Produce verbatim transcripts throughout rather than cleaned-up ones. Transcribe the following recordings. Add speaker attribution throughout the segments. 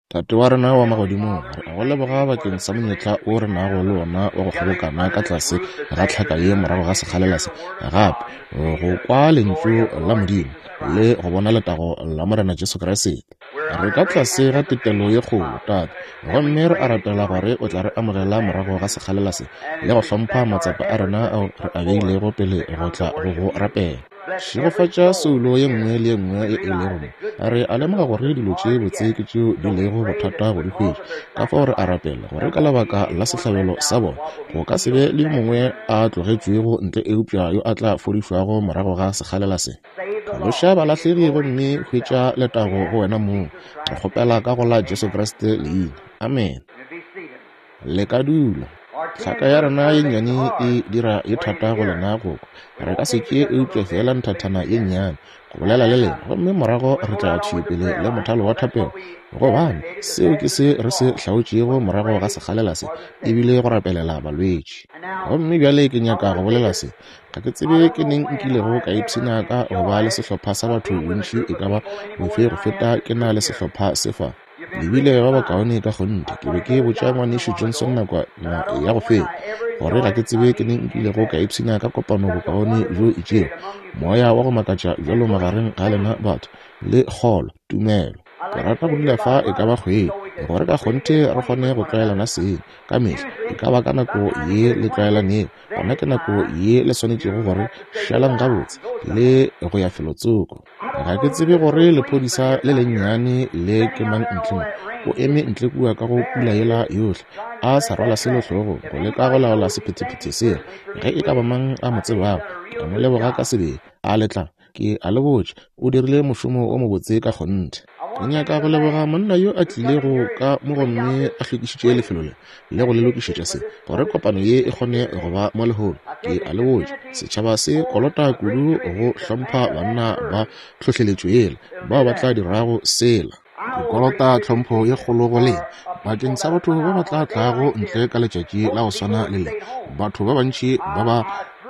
Speaker 1: Tate wa rena wa magodimong, re a go leboga bakeng sa monyetla o re nago le wona wa go kgobokana ka tlase ga tlhaka ye morago ga sekgalela se, gape go kwa lentšu la Modimo le go bona letago la Morena Jesu Kriste. Re ka tlase ga tetelo ye kgolo, Tate, gomme re a rapela gore o tla re amogela morago ga sekgalela se le go hlompha matsapa a rena ao re a beilego pele go tla go go rapela. Šegofatša soulo ye nngwe le ye nngwe ye e lego mo. Re a lemoga gore dilo tše botse ke tšeo di lego bothata go di hwetša. Ka fao re a rapela gore ka lebaka la sehlabelo sa bona go ka se be le yo mongwe a tlogetšwego ntle eupša yo a tla fodišwago morago ga sekgalela se. Phološa balahlegi gomme hwetša letago go wena mong. Re kgopela ka go la Jesu Kriste leina. Amen. Le ka dula. Tlhaka ya rena ye nnyane e dira ye thata go lena go kwa. Re ka se tšee eupša feela nthathana ye nnyane go bolela le lena, gomme morago re tla thwi pele le mothalo wa thapelo, gobane seo ke se re se hlaotšego morago ga sekgalela se, ebile go rapelela balwetši. Gomme bjale ke nyaka go bolela se. Ga ke tsebe ke neng nkilego ka ipshina ka go ba le sehlopha sa batho bontši e ka ba bofe go feta ke na le sehlopha se fa. Le bile ba bakaone ka kgonthe. Ke be ke botša ngwanešu Johnson nakwana ya go feta gore ga ke tsebe ke neng nkilego ka ipshina ka kopano bokaone bjo itšego, moya wa go makatša bjalo magareng ga lena batho, le kgolo, tumelo. Ke rata go dula fa e ka ba kgwedi gore ka kgonthe re kgone go tlwaelana seng ka mehla. E ka ba ka nako ye le tlwaelanego, gona ke nako ye le swanetšego gore šalang gabotse le go ya felotsoko. Ga ke tsebe gore lephodisa le lennyane le ke mang ntle mo. O eme ntle kua ka go pula yela yohle, a sa rwala selo hlogong, go leka go laola sephethephethe sela. Ge e ka ba mang a mo tsebago, ke a mo leboga ka sebele. A le tla, ke a le botša, o dirile mošomo o mobotse ka kgonthe. Ke nyaka go leboga monna yo a tlilego ka mo gomme a hlwekišitše lefelo le le go le lokišetša se, gore kopano ye e kgone go ba mo lehono. Ke a le botša, setšhaba se kolota kudu go hlompha banna ba tlhohleletšo yela, bao ba tla dirago sela. Ke kolota tlhompho ye kgolo go lena bakeng sa batho ba ba tla tlago ntle ka letšatši la go swana le le, batho ba bantši ba ba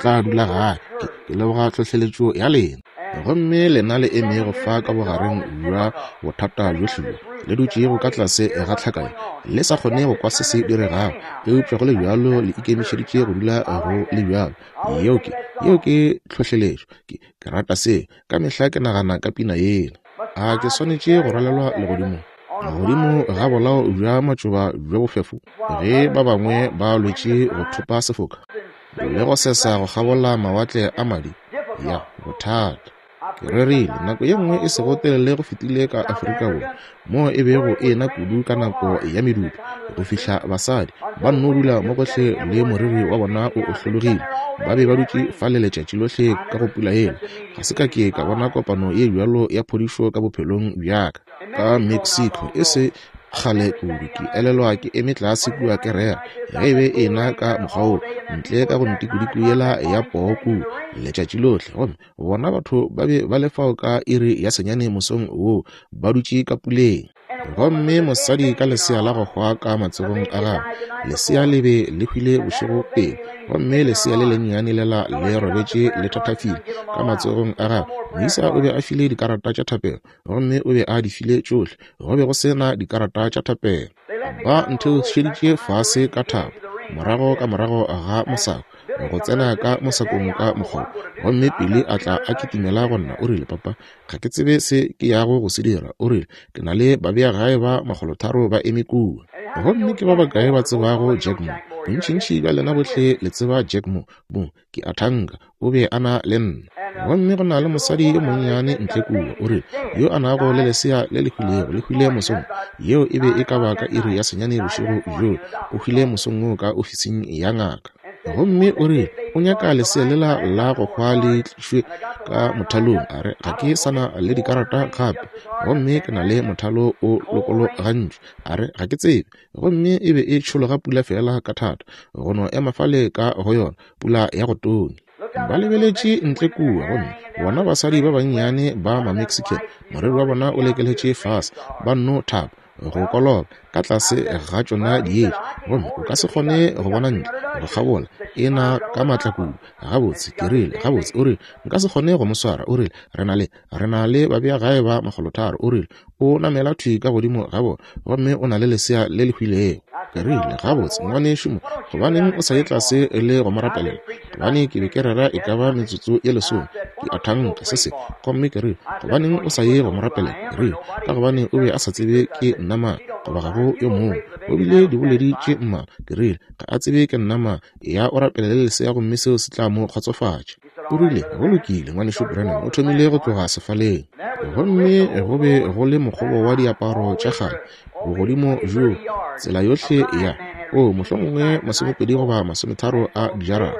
Speaker 1: tla dula gae. Ke, ke leboga tlhohleletšo ya lena. Gomme lena le emego fa ka bogareng bja bothata bjohle bjo, le dutšego ka tlase ga tlhaka ye, le sa kgone go kwa se se diregago, eupša go le bjalo le ikemišeditše go dula go le bjalo. Yeo ke, yeo ke tlhohleletšo. Ke, ke rata seo. Ka mehla ke nagana ka pina yela. A ke swanetše go rwalelwa legodimong, godimo ga bolao bja matšoba bjo bofefo, ge ba bangwe ba lwetše go thopa sefoka le go sesa go kgabola mawatle a madi? Ya bothata. Ke rerile nako ye nngwe e sego telele go fetile ka Afrika Borwa, moo e bego e ena kudu ka nako ya medupi, go fihla basadi ba nno dula mo gohle le moriri wa bona o ohlologile. Ba be ba dutše fale letšatši lohle ka go pula yela. Ga se ka ke ka bona kopano ye bjalo ya phodišo ka bophelong bja ka. Ka Mexico e se kgale kudu, ke elelwa ke eme tlase kua ke rera ge e be e na ka mokgwa wo, ntle ka go ntikodiko yela ya poo kua letšatši lohle, gomme bona batho ba be ba le fao ka iri ya senyane mosong woo ba dutše ka puleng. Gomme mosadi ka lesea la go hwa ka matsogong a gagwe, lesea le be le hwile bošego pele, gomme lesea le lennyane lela le robetše le thathafile ka matsogong a gagwe. Moisa o be a file dikarata tša thapelo, gomme o be a di file tšohle. Go be go se na dikarata tša thapelo. Ba ntheošeditše fase ka thapo, morago ka morago ga mosako, go tsena ka mosakong ka mokgwa. Gomme pele a tla a kitimela go nna, o rile, Papa, ga ke tsebe se ke yago go se dira. O rile, ke na le babeagae ba makgolotharo ba eme kua. Gomme ke ba bakae ba tsebago Jack Moore? Bontšintši bja lena bohle le tseba Jack Moore. Bo, ke a thanka o be a na le nna. Gomme go na le mosadi yo monnyane ntle kua, o rile, yo a nago le lesea le le hwilego, le hwile mosong. Yeo e be e ka ba ka iri ya senyane bošego bjoo. O hwile mosong woo ka ofising ya ngaka. Gomme o rile, o nyaka lesea lela la go hwa le tlišwe ka mothalong. A re, ga ke sana le dikarata gape, gomme ke na le mothalo o lokologantšwe. A re, ga ke tsebe. Gomme e be e tšhologa pula fela ka thata, go no ema fale ka go yona pula ya go tonya. Ba lebeletše ntle kua, gomme bona basadi ba bannyane ba ma-Mexican, moriri wa bona o lekeletše fase, ba nno thapa. go koloba ka tlase ga tšona dietša, gomme o ka se kgone go bona ntle go kgabola, e na ka maatla kudu. Gabotse, ke rile, gabotse, o rile, nka se kgone go mo swara. O rile, re na le, re na le babeagae ba makgolotharo. O rile, o namela thwi ka godimo ga bona, gomme o na le lesea le le hwilego. Ke rile, gabotse, ngwanešu mo, gobaneng o sa ye tlase le go mo rapelela? Gobane ke be ke rera e ka ba metsotso ye lesome, ke a thanka se se. Gomme ke rile, gobaneng o sa ye go mo rapelela? Ke rile, ka gobane o be a sa tsebe ke nna mang, goba ga go yo mongwe. O bile diboledi tše mmalwa. Ke rile, ga a tsebe ke nna mang, ya o rapelele lesea gomme seo se tla mo kgotsofatša. O rile, go lokile, ngwanešu Branham. O thomile go tloga sefaleng, gomme go be go le mokgobo wa diaparo tša kgale bogodimo bjo tsela yohle ya o mohlomongwe masomepedi goba masometharo a dijara.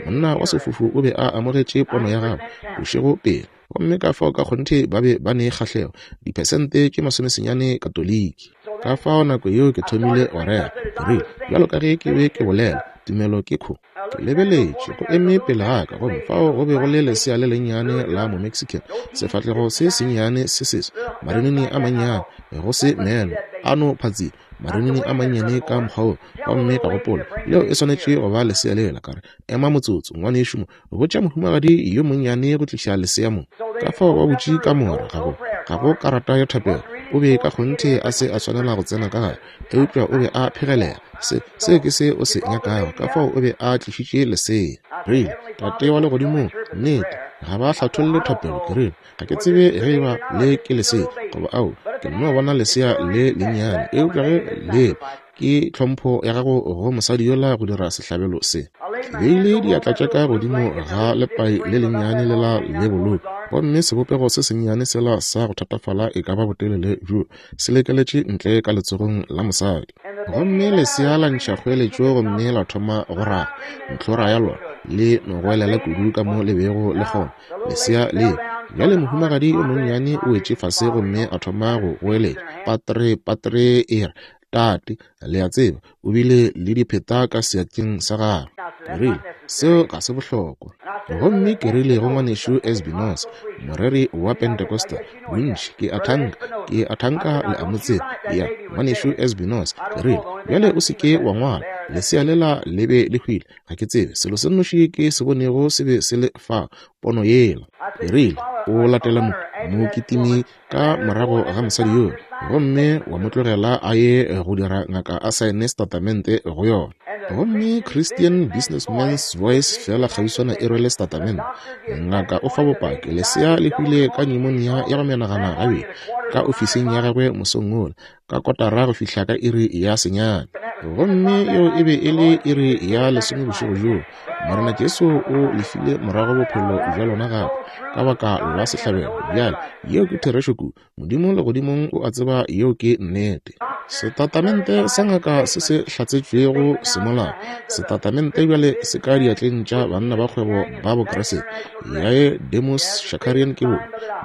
Speaker 1: Monna wa sefofu o be a amogetše pono ya gagwe bošego pele, gomme ka fao ka kgonthe ba be ba ne kgahlego diphesente tše masomesenyane Katoliki. Ka fao nako yeo ke thomile go rera. Ke rile, bjalo ka ge ke be ke bolela, tumelo ke kho. Ke lebeletše go eme pele ga ka, gomme fao go be go le lesea le lennyane la Momexican, sefahlego se sennyane se seso, marinini a mannyane, go se meno a no phatsile, marinini a mannyane ka mokgwa wo. Gomme ka gopola, leo e swanetše go ba lesea lela. Ka re, ema motsotso, ngwanešu mo, botša mohumagadi yo monnyane go tliša lesea mo. Ka fao ba butše kamora, ga go ga go karata ya thapelo. O be ka kgonthe a se a swanela go tsena ka gare, eupša o be a phegelela. Se se ke se o se nyakago. Ka fao o be a tlišitše lesea. Rile, Tate wa legodimong, nnete ga ba hlatholle thapelo. Ke rile, ga ke tsebe ge eba le ke lesea goba ao, ke nno bona lesea le lennyane, eupša ge le ke tlhompho ya gago go mosadi yola go dira sehlabelo se. Ke beile diatla tša ka godimo ga lepai le lennyane lela le bolou, gomme sebopego se sennyane sela sa go thatafala e ka ba botelele bjo se lekeletše ntle ka letsogong la mosadi. Gomme lesea la ntšha kgoeletšo gomme la thoma go raga ntlhora ya lona le no goelela kudu ka mo le bego le kgona. Lesea le bjale mohumagadi yo monnyane o wetše fase gomme a thoma go goeletša, patre, patre, e re, tate, le a tseba, o bile le dipheta ka seatleng sa gagwe. Ke rile, seo ga se bohlokwa. Gomme ke rile go ngwanešu Espinosa, moreri wa Pentecostal, bontši ke a thanka, ke a thanka le a mo tseba. Ya, ngwanešu Espinosa, ke rile, bjale o se ke wa ngwala, lesea lela le be le hwile, ga ke tsebe, selo se nnoši ke se bonego se be se le fa, pono yela. Ke rile, o latela mo mokitimi ka morago ga mosadi yoo, gomme wa mo tlogela a ye go dira ngaka a saene setatamente go yona. Gomme Christian Businessman's Voice fela kgauswana e rwele setatamente. Ngaka o fa bopaki, lesea le hwile ka pneumonia ya go menagana gabedi ka ofising ya gagwe mosong wola, ka kotara go fihla ka iri ya senyane. Gomme yeo e be e le iri ya lesome bošego bjoo. Morena Jesu o lefile morago bophelo bja lona gape ka baka la sehlabelo. Bjale yeo ke therešo kudu. Modimo legodimong o a tseba yeo ke nnete. Setatamente sa ngaka se se hlatsetšwego semolao. Setatamente bjale se ka diatleng tša banna ba kgwebo ba Bokriste. Yae Demos Shakarian ke bo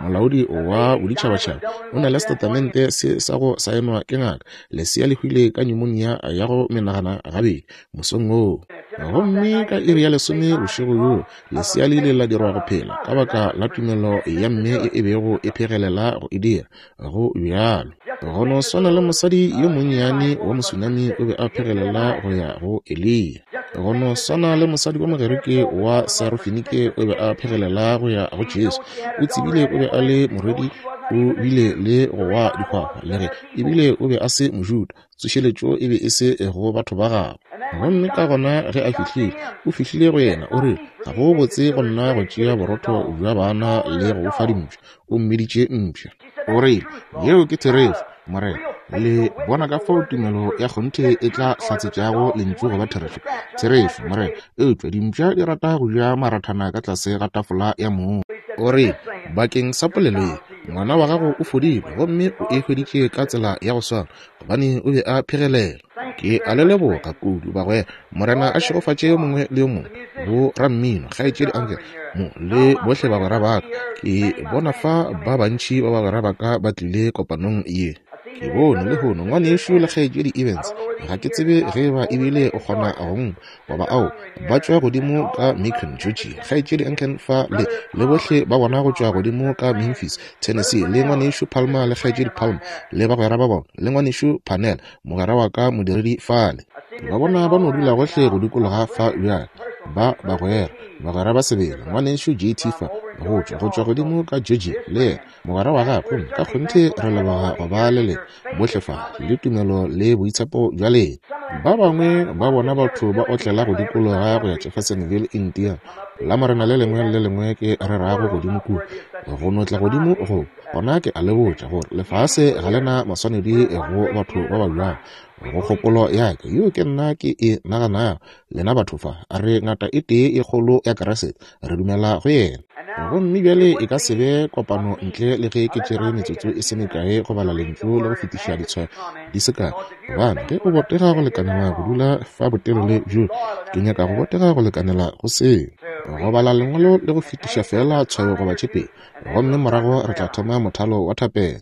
Speaker 1: molaodi wa boditšhabatšhaba, o na le setatamente se sa go saenwa ke ngaka. Lesea le hwile ka pneumonia ya go menagana gabedi mosong woo. Gomme ka iri ya lesome bošego bjoo, lesea le ile la dirwa go phela ka baka la tumelo ya mme e bego e phegelela go e dira. Go bjalo go no swana le mosadi yo monnyane wa Mosunami o be a phegelela go ya go Eliya. Go no swana le mosadi wa Mogerike wa Sarofenike o be a phegelela go ya go Jesu. O tsebile o be a le morwedi, o bile le go wa dihwahwa, le ge ebile o be a se Mojuda. Tsošeletšo e be e se go batho ba gagwe. Gomme ka gona ge a fihlile, o fihlile go yena, o rile, ga go botse go nna go tšea borotho bja bana le go fa dimpša. O mmiditše mpša. O rile, yeo ke therešo, Morena. Le bona ka fao tumelo ya kgonthe e tla hlatsetšago lentšu go ba therešo. Therešo, Morena. Eupša dimpša di rata go ja marathana ka tlase ga tafola ya mong. O rile, bakeng sa polelo ye, ngwana wa gago o fodile, gomme o e hweditše ka tsela ya go swana, gobane o be a phegelela. Ke a le leboga kudu, bagwera. Morena a šegofatše yo mongwe le yo mongwe, bo rammino, kgaetšedi Angel mo, le bohle bagwera ba ka. Ke bona fa ba bantši ba bagwera ba ka ba tlile kopanong ye. Ke bone lehono ngwanešu le kgaetšedi Evans Ga ke tsebe ge eba ebile o kgona go nkwa goba ao. Ba tšwa godimo ka Macon, Georgia. Kgaetšedi Anken fa le le bohle ba bona go tšwa godimo ka Memphis, Tennessee, le ngwanešu Palmer le kgaetšedi Palmer le bagwera ba bona, le ngwanešu Parnell, mogwera wa ka modiredi fale. Ba bona ba no dula gohle go dikologa fa bjale. Ba bagwera, bagwera ba sebele. Ngwanešu J T fa go tšwa go tšwa godimo ka Georgia le yena mogwera wa gagwe. Ka kgonthe re leboga go ba le lena bohle fa le tumelo le boitshepo bja lena. Ba bangwe ba bona batho ba otlela go dikologa go ya Jeffersonville, Indiana. La morena le lengwe le lengwe ke rerago godimo kua, go no tla godimo go gona. Ke a le botša gore lefase ga le na maswanedi go batho ba ba bjalo. Go kgopolo ya ka yo ke nna ke e naganago, lena batho fa re ngata e tee e kgolo ya Kriste, re dumela go yena. Gomme bjale e ka se be kopano ntle le ge ke tšere metsotso e se mekae go bala lentšu le go fetiša ditshwayo di se kae. Gobane ge o botega go lekanela go dula fa botelele bjo, ke nyaka go botega go lekanela go seo, go bala lengwalo le go fetiša fela tshwayo goba tše pedi, gomme morago re tla thoma mothalo wa thapelo.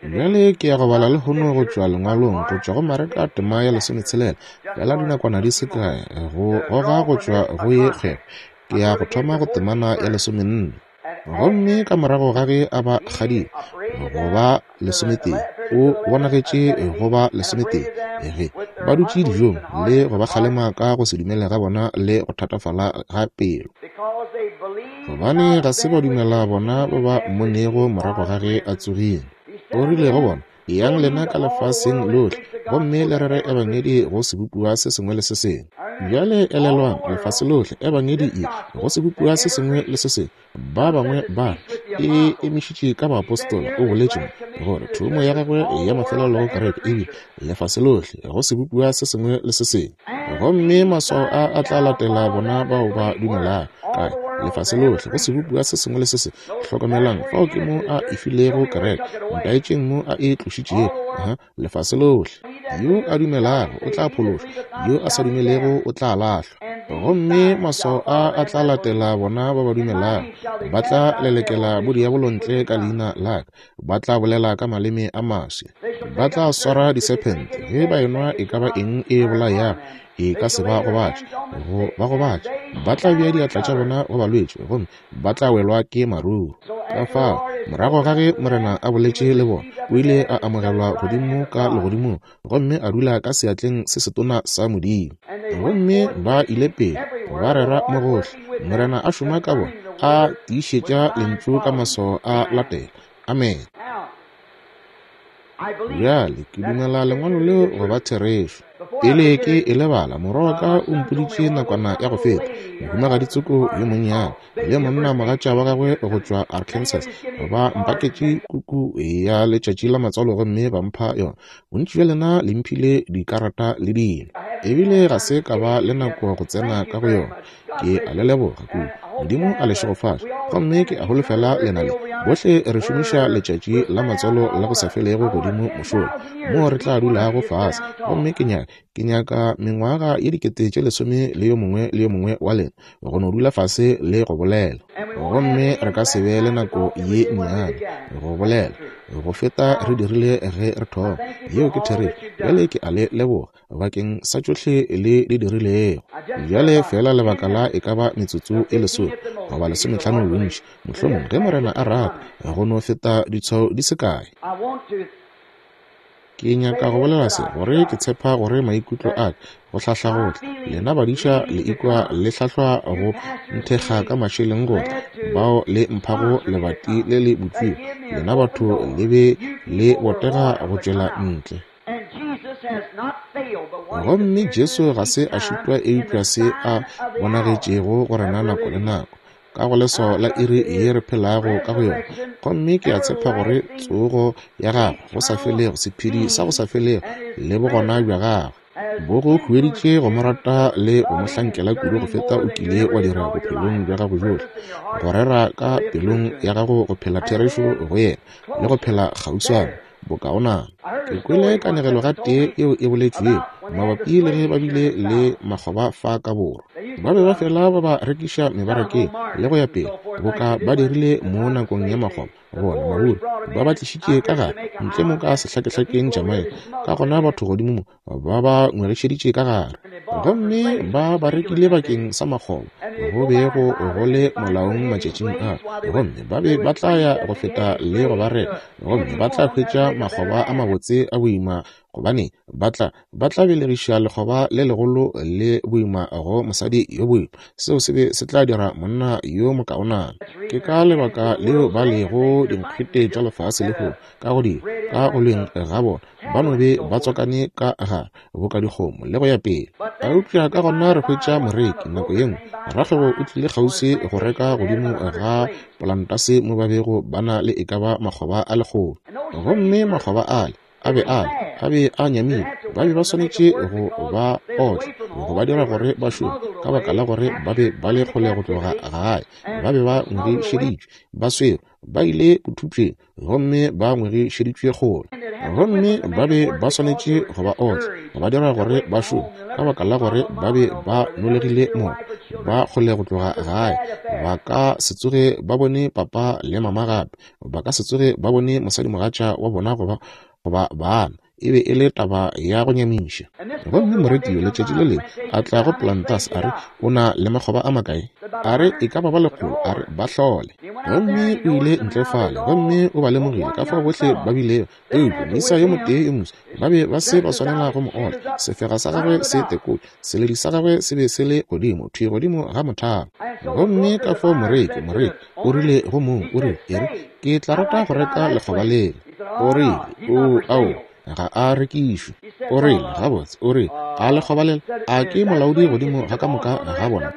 Speaker 1: Bjale ke ya go bala lehono go tšwa lengwalong go tšwa go Mareka tema ya lesometshelela, fela dinakwana di se kae go goga go tšwa go ye kgwebo. Ke ya go thoma go temana ya lesomenne. Gomme ka morago ga ge a ba kgadile go ba lesometee, o bonagetše go ba lesometee ge ba dutše dijong le go ba kgalema ka go se dumele ga bona le go thatafala ga pelo, gobane ga se ba dumela bona ba ba mmonego morago ga ge a tsogile. O rile go bona, eyang lena ka lefaseng lohle gomme le rere ebangedi go sebopiwa se sengwe le se sengwe. Bjale elelwang, lefase lohle, ebangedi e go sebopiwa se sengwe le se sengwe. Ba bangwe ba e emišitše ka baapostola. O boletše gore thomo ya gagwe ya mafelelo go kereke e bile lefase lohle go sebopiwa se sengwe le se sengwe. Gomme maswao a a tla latela bona bao ba dumelago. Kae? Lefase lohle go sebopiwa se sengwe le se sengwe. Hlokomelang, fao ke mo a e filego kereke. Ntaetšeng mo a e tlošitšego. Aha, lefase lohle. Yo a dumelago o tla phološwa, yo a sa dumelego o tla lahlwa. Gomme maswao a a tla latela bona ba ba dumelago. Ba tla lelekela bodiabolo ntle ka leina la ka, ba tla bolela ka maleme a maswi, ba tla swara disephente, ge ba enwa e ka ba eng e bolayago e ka se ba gobatše, go ba gobatše. Ba tla bea diatla tša bona go balwetši gomme ba tla welwa ke maruru. Ka fao morago ga ge Morena a boletše le bona, o ile a amogelwa godimo ka legodimong gomme a dula ka seatleng se setona sa Modimo. Gomme ba ile pele ba rera mo gohle, Morena a šoma ka bona, a tiišetša lentšu ka maswao a latela. Amen. Bjale ke dumela lengwalo leo go ba therešo. Pele ke e lebala, morwa wa ka o mpoditše nakwana ya go feta, mohumagadi Tsoko yo monnyane le monna mogatša wa gagwe go tšwa Arkansas ba mpaketše kuku ya letšatši la matswalo gomme ba mpha yona. Bontši bja lena le mphile dikarata le dilo, ebile ga se ka ba le nako go tsena ka go yona. Ke a le leboga kudu. Modimo a le šegofatše. Gomme ke a holofela lena le bohle re šomiša letšatši la matswalo la go sa felego godimo mošola moo re tla dulago fase. Gomme ke nyaka ke nyaka mengwaga ye dikete tše lesome le yo mongwe le yo mongwe wa lena go no dula fase le go bolela. Gomme re ka se be le nako ye nnyane go bolela go feta re dirile ge re thoma. Yeo ke therešo. Bjale ke a le leboga bakeng sa tšohle le di dirilego. Bjale fela lebaka la e ka ba metsotso e lesome goba lesometlhano bontši, mohlomong ge Morena a rata, go no feta ditshwao di se kae. Ke nyaka go bolela se gore ke tshepa gore maikutlo a ka go hlahla go tla. Lena badiša le ikwa le hlahlwa go nthekga ka mašeleng go tla, bao le mphago lebati le le butšwego. Lena batho le be le botega go tšwela ntle. Gomme Jesu ga se a šitwa eupša se a bonagetšego go rena nako le nako ka go leswao la iri ye re phelago ka go yona. Gomme ke a tshepa gore tsogo ya gagwe go sa felego, sephedi sa go sa felego le bogona bja gagwe bo go hueditše go mo rata le go mo hlankela kudu go feta o kile wa dira bophelong bja gago bjohle, go rera ka pelong ya gago go phela therešo go yena le go phela kgauswana bokaonana. Ke kwele kanegelo gatee yeo e boletšwego mabapi le ge ba bile le makgoba fa ka borwa. Ba be ba fela ba ba rekiša mebarakeng le go ya pele, boka ba dirile mo nakong ya makgoba. Bona Maburu ba ba tlišitše ka gare ntle mo ka sehlakehlakeng Jamaica, ka gona batho godimo mo ba ba ngwegišeditše ka gare, gomme ba ba rekile bakeng sa makgoba, go be go go le molaong matšatšing a, gomme ba be ba tla ya go feta le go ba reka, gomme ba tla hwetša makgoba a mabotse a boima, gobane ba tla ba tla belegiša lekgoba le legolo le boima go mosadi yo boima. Seo se be se tla dira monna yo mokaonana. Ke ka lebaka leo ba lego dinkgwete tša lefase lehono, ka godimo ka go leng ga bona ba no be ba tswakane ka gare boka dikgomo le go ya pele. Eupša ka gona re hwetša moreki nako ye nngwe, rakgwebo o tlile kgauswi go reka godimo ga polantase mo ba bego ba na le e ka ba makgoba a lekgolo, gomme makgoba ale a be a a be a nyamile. Ba be ba swanetše go ba otla, go ba dira gore ba šome, ka baka la gore ba be ba le kgole go tloga gae. Ba be ba ngwegišeditšwe, ba swerwe, ba ile bothupšeng, gomme ba ngwegišeditšwe kgole, gomme ba be ba swanetše go ba otla, go ba dira gore ba šome, ka baka la gore ba be ba nolegile moko, ba kgole go tloga gae. Ba ka se tsoge ba bone papa le mama gape, ba ka se tsoge ba bone mosadimogatša wa bona goba goba bana. E be e le taba ya go nyamiša. Gomme moreki yo letšatši le lengwe a tla go Plantas, a re o na le makgoba a makae? A re e ka ba ba lekgolo. A re ba hlole. Gomme o ile ntle fale, gomme o ba lemogile ka fao bohle ba bilego, eupša moisa yo motee yo moswa ba be ba se ba swanela go mo otla. Sefega sa gagwe se tekotše, seledi sa gagwe se be se le godimo thwi godimo ga mothalo. Gomme ka fao moreki moreki o rile go mong, o rile, e re ke tla rata go reka lekgoba lela. O rile, o ao, ga a rekišwe. O rile, gabotse, o rile, a lekgoba lela, a ke molaodi godimo ga ka moka ga bona?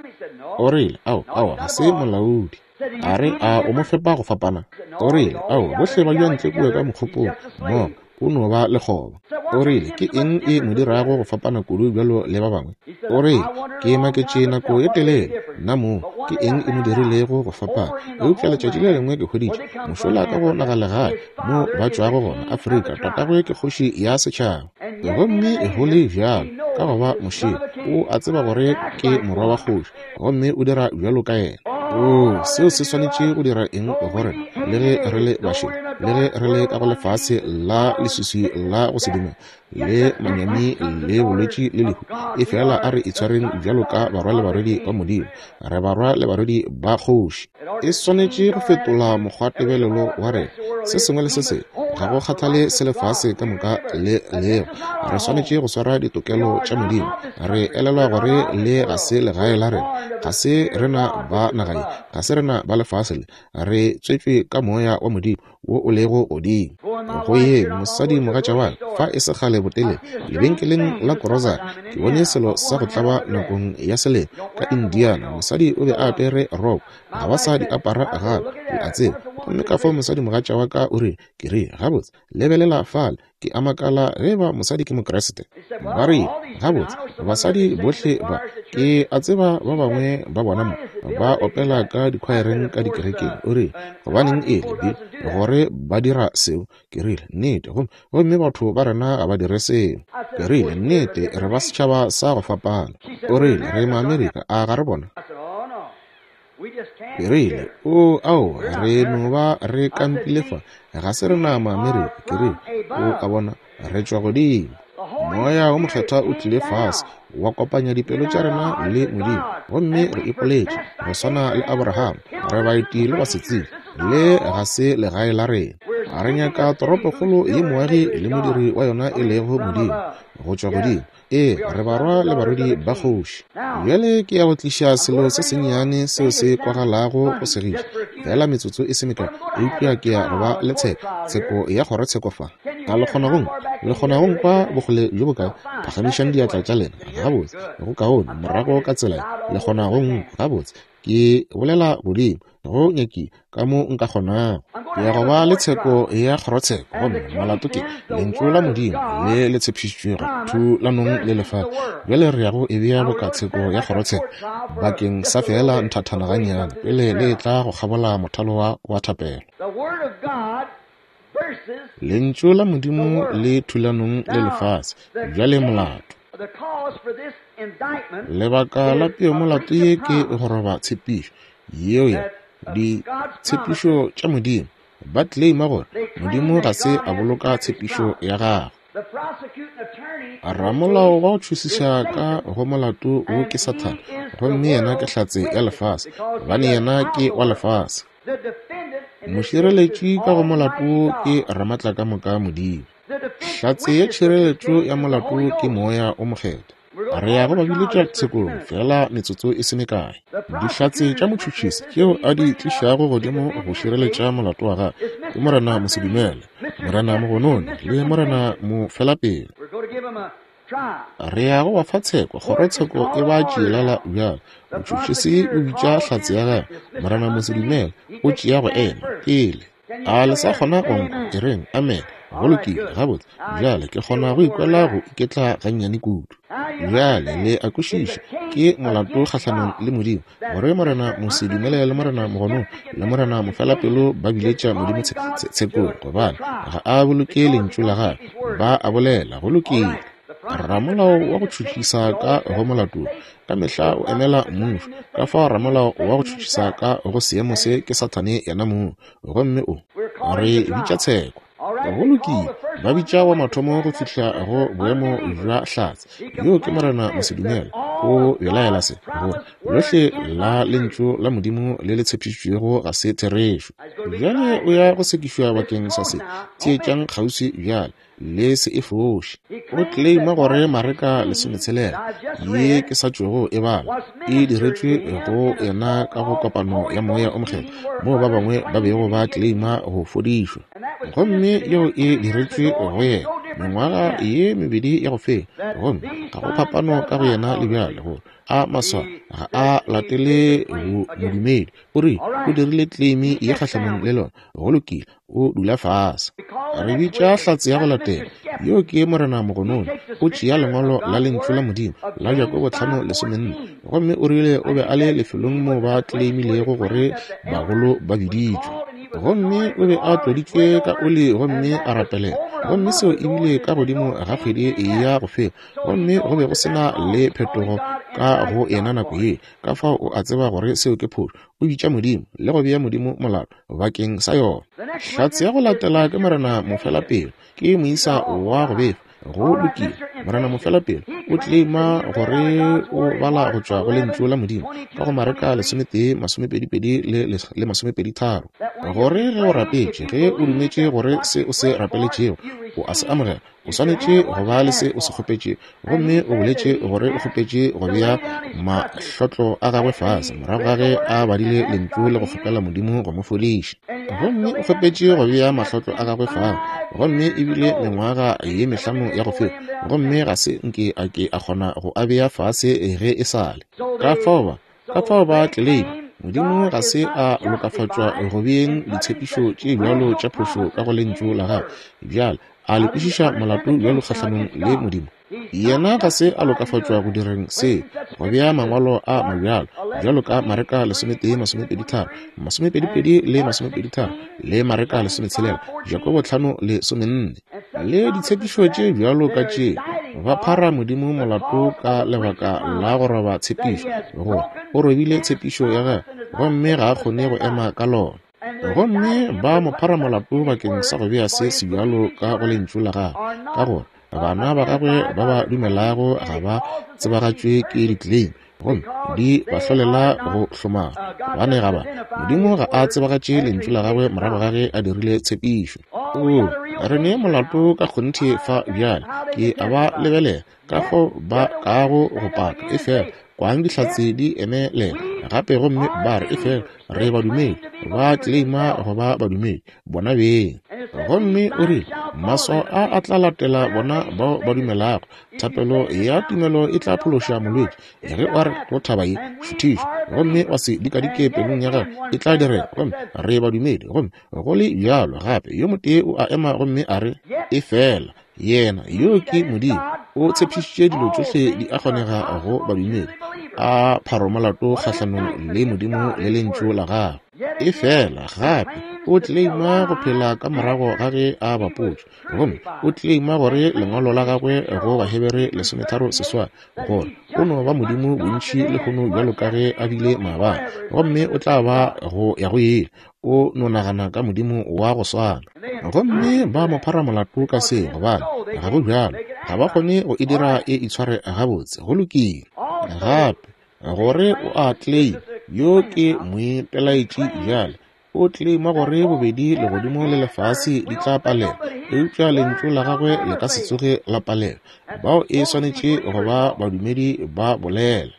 Speaker 1: O rile, ao, ao, ga se molaodi. A re, a o mo fepa go fapana? O rile, ao, bohle ba dula ntle kua ka mokgopong mmogo, o no ba lekgoba. O rile, ke eng e mo dirago go fapana kudu bjalo le ba bangwe? O rile, ke maketše nako ye telele nna mong, ke eng e mo dirilego go fapana? Eupša letšatši le lengwe ke hweditše mošola ka go nagalegae mo ba tšwago gona, Afrika, tatagwe ke kgoši ya setšhaba. Gomme go le bjalo, ka go ba mošele, o a tseba gore ke morwa wa kgoši, gomme o dira bjalo ka yena. Oo, seo se swanetše go dira eng go rena, le ge re le bašele, le ge re le ka go lefase la leswiswi la go se dumele, le manyami le bolwetši le lehu, efela a re itshwareng bjalo ka barwa le barwedi ba Modimo. Re barwa le barwedi ba kgoši. E swanetše go fetola mokgwatebelelo wa rena, se sengwe le se sengwe, ga go kgathale se lefase ka moka le lego. Re swanetše go swara ditokelo tša Modimo. Re elelwa gore le ga se legae la rena, ga se rena ba naga ye, ga se rena ba lefase le. Re tswetšwe ka moya wa Modimo wo o lego godimo. Go ye mosadi mogatša wa ka fa e se kgale botelele lebenkeleng la Grocery, ke bone selo sa go tlaba nakong ya selemo ka Indiana. Mosadi o be a apere roko, ga ba sa di apara gape, le a tseba. Gomme ka fao mosadi mogatša wa ka o rile, ke rile, gabotse, lebelela fale, ke a makala ge ba mosadi ke Mokriste. Ba rile, gabotse, basadi bohle ba, ke a tseba ba bangwe ba bona mo ba opela ka dikhwaereng ka dikerekeng. O rile, gobaneng e le gore ba dira seo? Ke rile, nnete, gomme gomme batho ba rena ga ba dire seo. Ke rile, nnete, re ba setšhaba sa go fapana. O rile, re Maamerika, a ga re bona? Ke rile, o ao, re no ba re kampile fa, ga se rena Maamerika. Ke rile, o a bona, re tšwa godimo. Moya wo Mokgethwa o tlile fase, wa kopanya dipelo tša rena le Modimo, gomme re ipoletše go swana le Abraham, re baeti le basetsebje, le ga se legae la rena. Re nyaka toropokgolo ye moagi le modiri wa yona e lego Modimo, go tšwa godimo. Ee, re barwa le barwedi ba kgoši. Bjale ke ya go tliša selo se sennyane seo se kwagalago go segiša, fela metsotso e se mekae, eupša ke ya go ba le tsheko, tsheko ya kgorotsheko fa. A le kgona go nkwa? Le kgona go nkwa bokgole bjo bokae? Phagamišang diatla tša lena. Gabotse, go kaone, morago ka tsela ye. Le kgona go nkwa? Gabotse, ke bolela godimo go nyakile ka mo nka kgonago. Ke ya go ba le tsheko ya kgorotsheko, gomme molato ke lentšu la Modimo le le tshepišitšwego thulanong le lefase. Bjale re ya go e bea boka tsheko ya kgorotsheko bakeng sa fela nthathana gannyane pele le etla go kgabola mothalo wa wa thapelo. Lentšu la Modimo le thulanong le lefase. Bjale molato. Lebaka la peomolato ye ke go roba tshepišo yeo ya ditshepišo tša Modimo. Ba claima gore Modimo ga se a boloka tshepišo ya gagwe. Ramolao wa go tšhošiša ka go molato wo ke Sathane, gomme yena ke hlatse ya lefase, gobane yena ke wa lefase. Mošireletši ka go molato wo ke Ramatlakamoka Modimo. Hlatse ya tšhireletšo ya molato ke Moya o Mokgethwa. Re ya go ba biletša tshekong fela metsotso e se mekae. Dihlatse tša motšhotšhisi tšeo a di tlišago godimo go šireletša molato wa gagwe ke Morena Mosedumele, Morena Mogononi le Morena Mofelapele. Re ya go ba fa tsheko, kgorotsheko e ba tšeelala bjalo. Motšhotšhisi o bitša hlatse ya gagwe, Morena Mosedumele o tšea go ema pele. A le sa kgona go nkwa? E reng amen. Go lokile, gabotse. Bjale ke kgona go ikwela go iketla gannyane kudu. Bjale le a kwešiša, ke molato kgahlanong le Modimo gore Morena Mosedumele le Morena Mogononi le Morena Mofelapelo ba biletša Modimo tshekong, gobane ga a boloke lentšu la gagwe. Ba a bolela, go lokile. Ramolao wa go tšhotšhisa ka go molato ka mehla o emela mmušo. Ka fao ramolao wa go tšhotšhisa ka go seemo se ke Sathane yena mong, gomme o re bitša tsheko. Go lokile, ba bitša wa mathomo go fihla go boemo bja hlatse. Yo ke Morena Mosedumele. O belaela se, gore lohle la lentšu la Modimo le le tshepišitšwego ga se therešo. Bjale o ya go sekišwa bakeng sa se. Theetšang kgauswi bjale, le se e foše. O claima gore Mareka lesometshelela ye ke sa tšwego e bala e diretšwe go yena ka go kopano ya Moya o Mokgethwa, moo ba bangwe ba bego ba claima go fodišwa, gomme yeo e diretšwe go yena mengwaga ye mebedi ya go feta, gomme ga go phapano ka go yena le bjale gore a maswa ga a latele modumedi. O re o dirile claim ye kgahlanong le lona. Go lokile, o dula fase. Re bitša hlatse ya go latela, yo ke Morena Mogononi. O tšea lengwalo la lentšu la Modimo la Jakobo tlhano lesomenne, gomme o rile o be a le lefelong moo ba claimilego gore bagolo ba biditšwe, gomme o be a tloditšwe ka oli gomme a rapelela, gomme seo e bile ka godimo ga kgwedi ya go feta, gomme go be go sena le phetogo ka go yena nako ye. Ka fao o a tseba gore seo ke phošo. O bitša Modimo le go bea Modimo molato bakeng sa yona. Hlatse ya go latela ke Morena Mofelapelo, ke moisa wa go befa. Go lokile, Morena Mofelapelo o claima gore o bala go tšwa go lentšu la Modimo ka go Mareka lesometee masomepedipedi le masomepedi tharo, gore ge o rapetše, ge o dumetše gore se o se rapeletšego o a se amogela, o swanetše go ba le se o se kgopetše. Gomme o boletše gore o kgopetše go bea mahlotlo a gagwe fase morago ga ge a badile lentšu le go kgopela Modimo go mo fodiša. Gomme o kgopetše go bea mahlotlo a gagwe fase, gomme ebile mengwaga ye mehlano ya go feta, gomme ga se nke a ke a kgona go a bea fase ge e sale. Ka fao ba ka fao ba tleleima Modimo ga se a lokafatšwa go beeng ditshepišo tše bjalo tša phošo ka go lentšu la gagwe. Bjale a le kwešiša molato bjalo kgahlanong le Modimo? Yena ga se a lokafatšwa go direng se, go bea mangwalo a mabjalo bjalo ka Mareka lesometee masomepedi tharo, masomepedipedi le masomepedi tharo, le Mareka lesometshelela, Jakobo tlhano lesomenne, le ditshepišo tše bjalo ka tše. Ba phara Modimo molato ka lebaka la go roba tshepišo, gore o robile tshepišo ya gagwe gomme ga a kgone go ema ka lona. Gomme ba mo phara molato bakeng sa go bea se sebjalo ka go lentšu la gagwe, ka gore bana ba gagwe ba ba dumelago ga ba tsebagatšwe ke di-claim, gomme di ba hlolela go hlomara. Gobane ga ba Modimo ga a tsebagatše lentšu la gagwe morago ga ge a dirile tshepišo. O re ne molato ka kgonthe fa bjale. Ke a ba lebelela ka fao ba kago go paka, efela kwang dihlatse di emelela gape gomme ba re efela re badumedi, ba claima go ba badumedi bona beng. Gomme o rile maswao a a tla latela bona bao ba dumelago. Thapelo ya tumelo e tla phološa molwetši. Ge o re go thaba ye šuthišwa gomme wa se dikadike pelong ya gago, e tla direga. Gomme re badumedi, gomme go le bjalo gape yo motee o a ema gomme a re efela yena yo ke Modimo, o tshepišitše dilo tšohle di a kgonega go badumedi. A pharo molato kgahlanong le Modimo le lentšu la gagwe. Efela gape o tleleima go phela ka morago ga ge a bapotšwe, gomme o tleleima gore lengwalo la gagwe go Bahebere lesometharo seswai gore o no ba Modimo bontši lehono bjalo ka ge a bile maabane, gomme o tla ba go ya go ile. O no nagana ka Modimo wa go swana. Gomme ba mo phara molato ka seo, gobane ga go bjalo, ga ba kgone go e dira e itshware gabotse. Go lokile. Gape gore o a tleleima, yo ke moipelaetši bjale, o tleleima gore bobedi legodimo le lefase di tla palelwa, eupša lentšu la gagwe le ka se tsoge la palelwa. Bao e swanetše go ba badumedi ba bolela.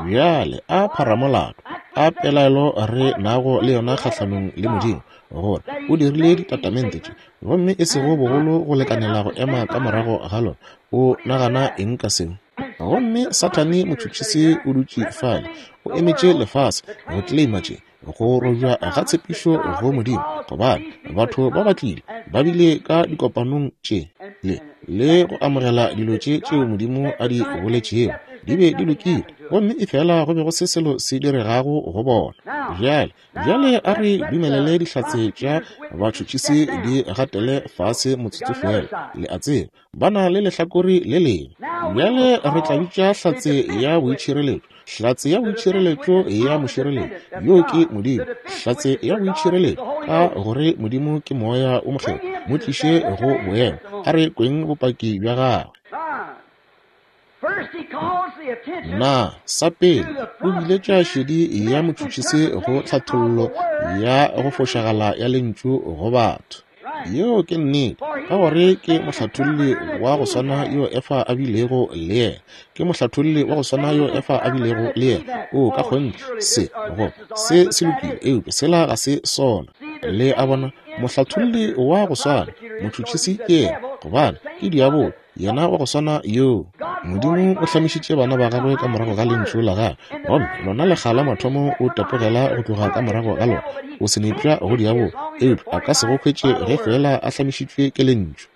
Speaker 1: Bjale a pharamolato, a pelaelo re nago le yona kgahlanong le Modimo, gore o dirile ditatamente tše, gomme e sego bogolo go lekanela go ema ka morago ga lona. O nagana eng ka seo? Gomme Sathane motšhotšhisi o dutše fale, o emetše lefase go tleleima tše, go robja ga tshepišo go Modimo, gobane batho ba ba tlile ba bile ka dikopanong tše le le go amogela dilo tše tšeo Modimo a di boletšego di be di lokile, gomme efela go be go se selo se diregago go bona. Bjale bjale a re dumelele dihlatse tša batšhotšhisi di gatele fase motsotso fela. Le a tseba, ba na le lehlakore le lengwe. Bjale re tla bitša hlatse ya boitšhireletšo, hlatse ya boitšhireletšo ya mošireletšo, yo ke Modimo. Hlatse ya boitšhireletšo, ka gore Modimo ke moya o mokgethwa, mo tliše go boemo, a re kweng bopaki bja gagwe. Na sa pele o biletša šedi ya motšhotšhisi go tlhathollo ya go fošagala ya lentšu go batho. Yeo ke nnete, ka gore ke mohlatholli wa go swana yo Efa a bilego le yena. Ke mohlatholli wa go swana yo Efa a bilego le yena. O ka kgonthe se go se se lokile, eupša sela ga se sona. Le a bona, mohlatholli wa go swana, motšhotšhisi ke yena, gobane ke diabolo, yena wa go swana yoo. Modimo o hlamišitše bana ba gagwe ka morago ga lentšu la gagwe, gomme lona lekga la mathomo o tapogela go tloga ka morago ga lona. O senepša go diabolo, eupša a ka se go hwetše ge fela a hlamišitšwe ke lentšu.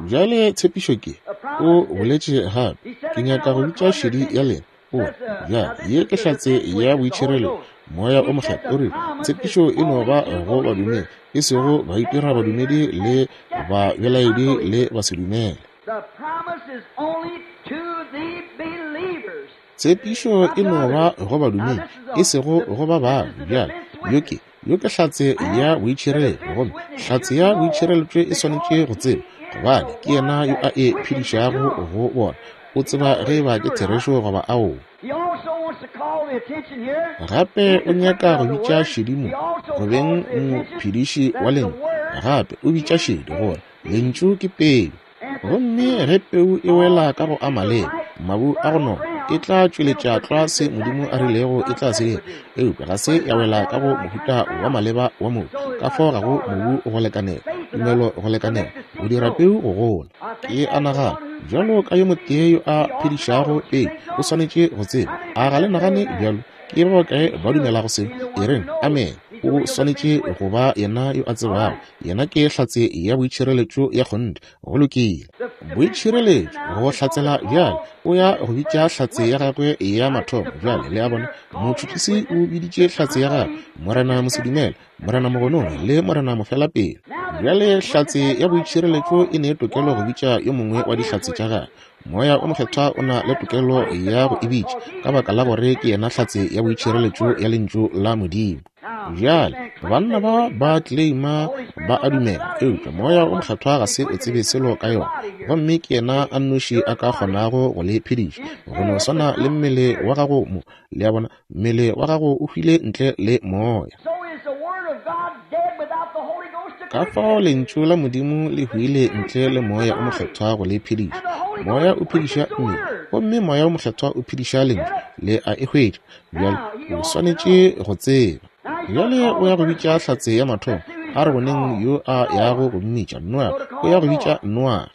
Speaker 1: Bjale tshepišo ke, o boletše gape, ke nyaka go bitša šedi ya lena. O re, bjale ye ke hlatse ya boitšhireletšo, moya o mokgethwa. O rile tshepišo e no ba go badumedi, e sego baitira badumedi le babelaedi le basedumele. Tshepišo e no ba go badumedi, e sego go ba bangwe. Bjale yo ke yo ke hlatse ya boitšhireletšo, gomme hlatse ya boitšhireletšo e swanetše go tseba, gobane ke yena yo a e phedišago go bona. O tseba ge ba ke therešo goba aowa. Gape o nyaka go bitša šedi mo go beng mophediši wa lentšu. Gape o bitša šedi gore lentšu ke peu, gomme ge peu e wela ka go a maleba, mabu a go nona, e tla tšweletša tlwa se Modimo a rilego e tla se dira. Eupša ga se ya wela ka go mohuta wa maleba wa mobu, ka fao ga go mobu go lekanela, tumelo go lekanela go dira peu go gola. Ke a nagana bjalo ka yo motee yo a phedišago peu o swanetše go tseba. A ga le nagane bjalo? Ke ba bakae ba dumelago seo? E reng amen. O swanetše go ba yena yo a tsebago. Yena ke hlatse ya boitšhireletšo ya kgonthe. Go lokile. Boitšhireletšo go hlatsela bjale o ya go bitša hlatse ya gagwe ya mathomo. Bjale le a bona, motšhotšhisi o biditše hlatse ya gagwe, Morena Mosedumele, Morena Mogonono le Morena Mofelapelo. Bjale hlatse ya boitšhireletšo e ne tokelo go bitša yo mongwe wa dihlatse tša gagwe. Moya o mokgethwa o na le tokelo ya go e bitša, ka baka la gore ke yena hlatse ya boitšhireletšo ya lentšu la Modimo. Bjale banna ba ba tleleima ba a dumela, eupša moya o mokgethwa ga se o tsebe selo ka yona, gomme ke yena a nnoši a ka kgonago go le phediša. Go no swana le mmele wa gago mo, le a bona, mmele wa gago o hwile ntle le moya. Ka fao lentšu la Modimo le hwile ntle le moya o mokgethwa go le phediša. Moya o phediša mmele, gomme moya o mokgethwa o phediša lentšu. Le a e hwetša. Bjale o swanetše go tseba. Bjale o ya go bitša hlatse ya mathomo. A re boneng yo a yago go mmitša. Noage o ya go bitša Noage.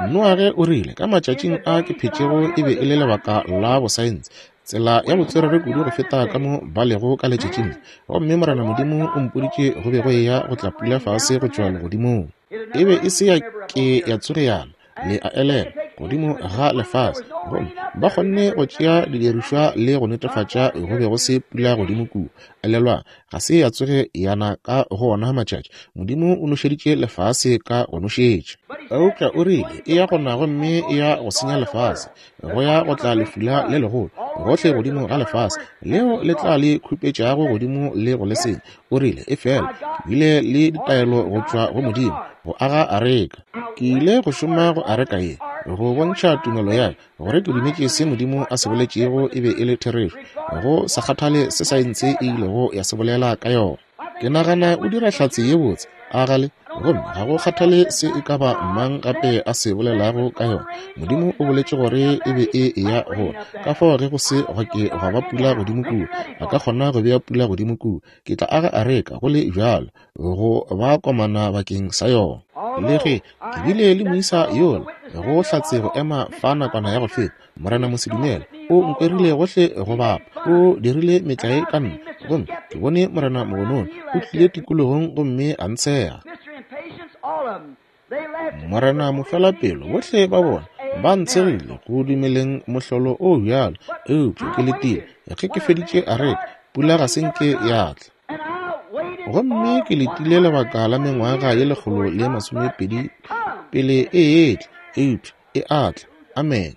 Speaker 1: Noage o rile, ka matšatšing a ke phetšego e be e le lebaka la bosaense, tsela ya botswerere kudu go feta ka mo ba lego ka letšatšing le. Gomme Morena Modimo o mpoditše go be go eya go tla pula fase go tšwa legodimong. E be e se ya ke ya tsoge yana. Le a elelwa. godimo ga lefase, gomme ba kgonne go tšea didirišwa le go netefatša go be go se pula godimo kua. Elelwang, ga se ya tsoge ya na ka go ona matšatši. Modimo o nošeditše lefase ka go nošetša. Eupša o rile e ya go na gomme e ya go senya lefase, go ya go tla lefula le legolo gohle godimo ga lefase leo le tla le khupetšago godimo le go le senya. O rile efela ke bile le ditaelo go tšwa go Modimo go aga areka. Ke ile go šoma go areka ye go bontšha tumelo ya ka gore ke dumetše se Modimo a se boletšego e be e le therešo, go sa kgathale se saense e ilego ya se bolela ka yona. Ke nagana o dira hlatse ye botse, a gale, gomme ga go kgathale se e ka ba mang gape a se bolelago ka yona. Modimo o boletše gore e be e eya go, ka fao ge go se gwa ke gwa ba pula godimo kua, a ka kgona go bea pula godimo kua. Ke tla aga areka go le bjalo go ba komana bakeng sa yona. Le ge ke bile le moisa yola go hlatse go ema fa nakwana ya go feta, Morena Mosedumele o nkwerile gohle go bapa, o dirile metlae ka nna, gomme ke bone Morena Mogonono o tlile tikologong gomme a ntshega. Morena Mofelapelo, bohle ba bona ba ntshegile go dumeleng mohlolo o bjalo, eupša ke letile ge ke feditše areka, pula ga se nke ya tla. Gomme ke letile lebaka la mengwaga ye lekgolo le masomepedi pele e etla, eupša e a tla. Amen.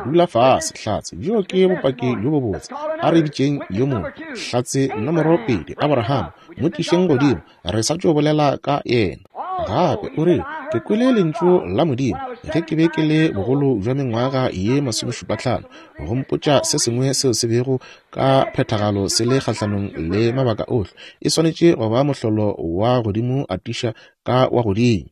Speaker 1: Dula fase, hlatse. Bjo ke bopaki bjo bobotse. A re bitšeng yo mongwe. Hlatse nomoro pedi, Abraham, mo tlišeng godimo, re sa tšo bolela ka yena. Gape o rile, ke kwele lentšu la Modimo ge ke be ke le bogolo bja mengwaga ye masomešupatlhano, go mpotša se sengwe seo se bego ka phethagalo se le kgahlanong le mabaka ohle. E swanetše go ba mohlolo wa godimo atiša ka wa godimo,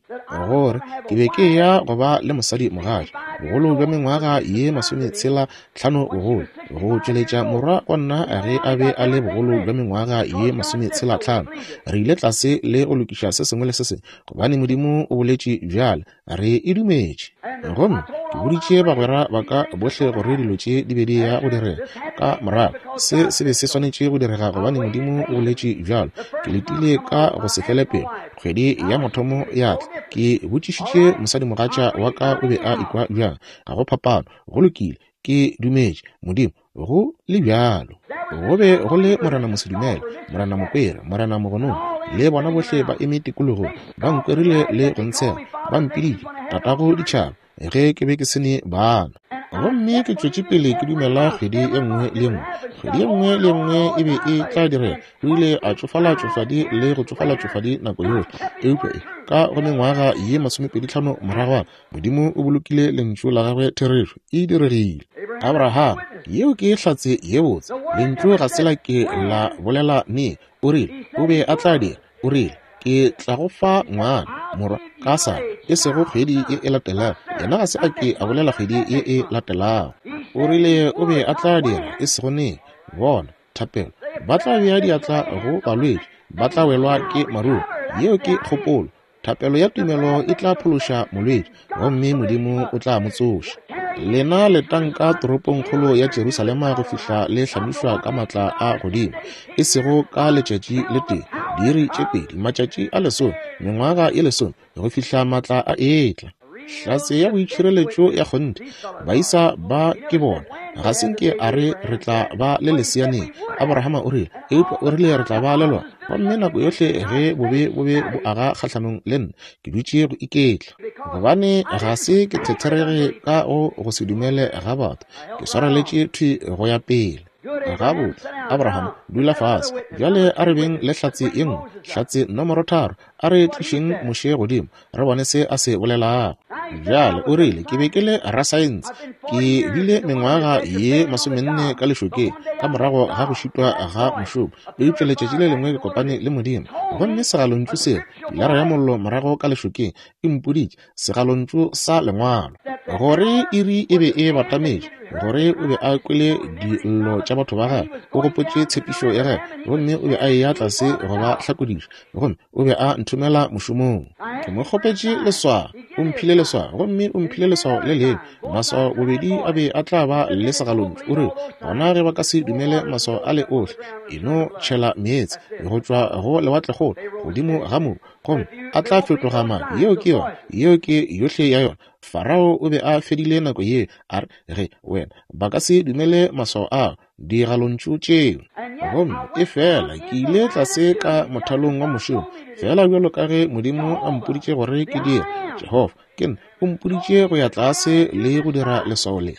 Speaker 1: gore ke be ke ya go ba le mosadi mogatša bogolo bja mengwaga ye masometshela tlhano bogolo, go tšweletša morwa wa nna ge a be a le bogolo bja mengwaga ye masometshela tlhano. Re ile tlase le go lokiša se sengwe le se sengwe, gobane Modimo o boletše bjale, re e dumetše. Gomme ke boditše bagwera ba ka bohle gore dilo tše di be di ya go direga ka morago. Se se be se swanetše go direga gobane Modimo o boletše bjalo. Ke letile ka go se fele pelo. Kgwedi ya mathomo ya tla, ke botšišitše mosadimogatša wa ka o be a ikwa bjang. Ga go phapano, go lokile, ke dumetše Modimo go le bjalo. Go be go le Morena Mosedumele, Morena Mokwere, Morena Mogonono, le bona bohle ba eme tikologong, ba nkwerile le go ntshega, ba mpiditše tatago ditšhaba ge ke be ke se ne bana. Gomme ke tšwetše pele ke dumela kgwedi ye nngwe le ye nngwe. Kgwedi ye nngwe le ye nngwe e be e tla direga. O ile a tšofala tšofadi le go tšofala tšofadi nako yohle, eupša e ka go mengwaga ye masomepedi tlhano moragwana, Modimo o bolokile lentšu la gagwe therešo, e diregile. Abraham, yeo ke hlatse ye botse. Lentšu ga se la ke la bolela nee. O rile o be a tla dira. O rile ke tla go fa ngwana morwa ka sa e sego kgwedi ye e latelago. Yena ga se a ke a bolela kgwedi ye e latelago. O rile o be a tla dira, e sego neng. Bona thapelo, ba tla bea diatla go balwetši, ba tla welwa ke maruo. Yeo ke kgopolo. Thapelo ya tumelo e tla phološa molwetši, gomme Modimo o tla mo tsoša. Lena letang ka toropongkgolo ya Jerusalema go fihla le hlamišwa ka matla a godimo, e sego ka letšatši le tee, diiri tše pedi, matšatši a lesome, mengwaga ye lesome, go fihla matla a etla. Hlatse ya boitšhireletšo ya kgonthe, baisa ba ke bona. Ga se nke a re re tla ba le leseaneng, Abrahama o rile, eupša o rile re tla ba le lona. Gomme nako yohle ge bobe bobe bo aga kgahlanong le nna, ke dutše go iketla, gobane ga se ke thetherege ka go go se dumele ga batho, ke swareletše thwi go ya pele. Gabotse, Abraham, dula fase. Bjale a re beng le hlatse ye nngwe, hlatse nomoro tharo. A re tlišeng Moshe godimo, re bone se a se bolelago. Bjale o rile ke be ke le rasaense, ke bile mengwaga ye masomenne ka lešokeng ka morago ga go šitwa ga mošomo, eupša letšatši le lengwe ke kopane le Modimo, gomme segalontšu seo, pilara ya mollo morago ka lešokeng, e mpoditše segalontšu sa lengwalo, gore iri e be e batametše, gore o be a kwele dillo tša batho ba gagwe, o gopotše tshepišo ya gagwe, gomme o be a eya tlase go ba hlakodiša, gomme o be a nthomela mošomong. Ke mo kgopetše leswao, o mphile leswao, gomme o mphile leswao le lengwe. Maswao bobedi a be a tla ba le segalontšu. O rile gona ge ba ka se dumele maswao a le ohle, e no tšhela meetse go tšwa go lewatlekgolo godimo ga mobu, gomme a tla fetoga madi. Yeo ke yona, yeo ke yohle ya yona. Farao o be a fedile nako ye, a re, ge wena ba ka se dumele maswao ao, digalontšu tšeo. Gomme efela ke ile tlase ka mothalong wa mošomo, fela bjalo ka ge Modimo a mpoditše gore ke dire. Jehofa ke nna o mpoditše go ya tlase le go dira leswao le.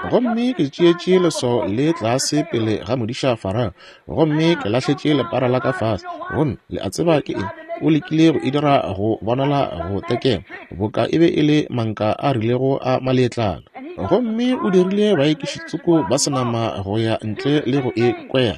Speaker 1: Gomme ke tšeetše leswao le tlase pele ga modiša Farao, gomme ke lahletše lepara la ka fase. Gomme le a tseba ke eng? O lekile go e dira go bonala go tekema, boka e be e le manka a rilego a maletlana. Gomme o dirile baekišitsoko ba senama go ya ntle le go e kwera,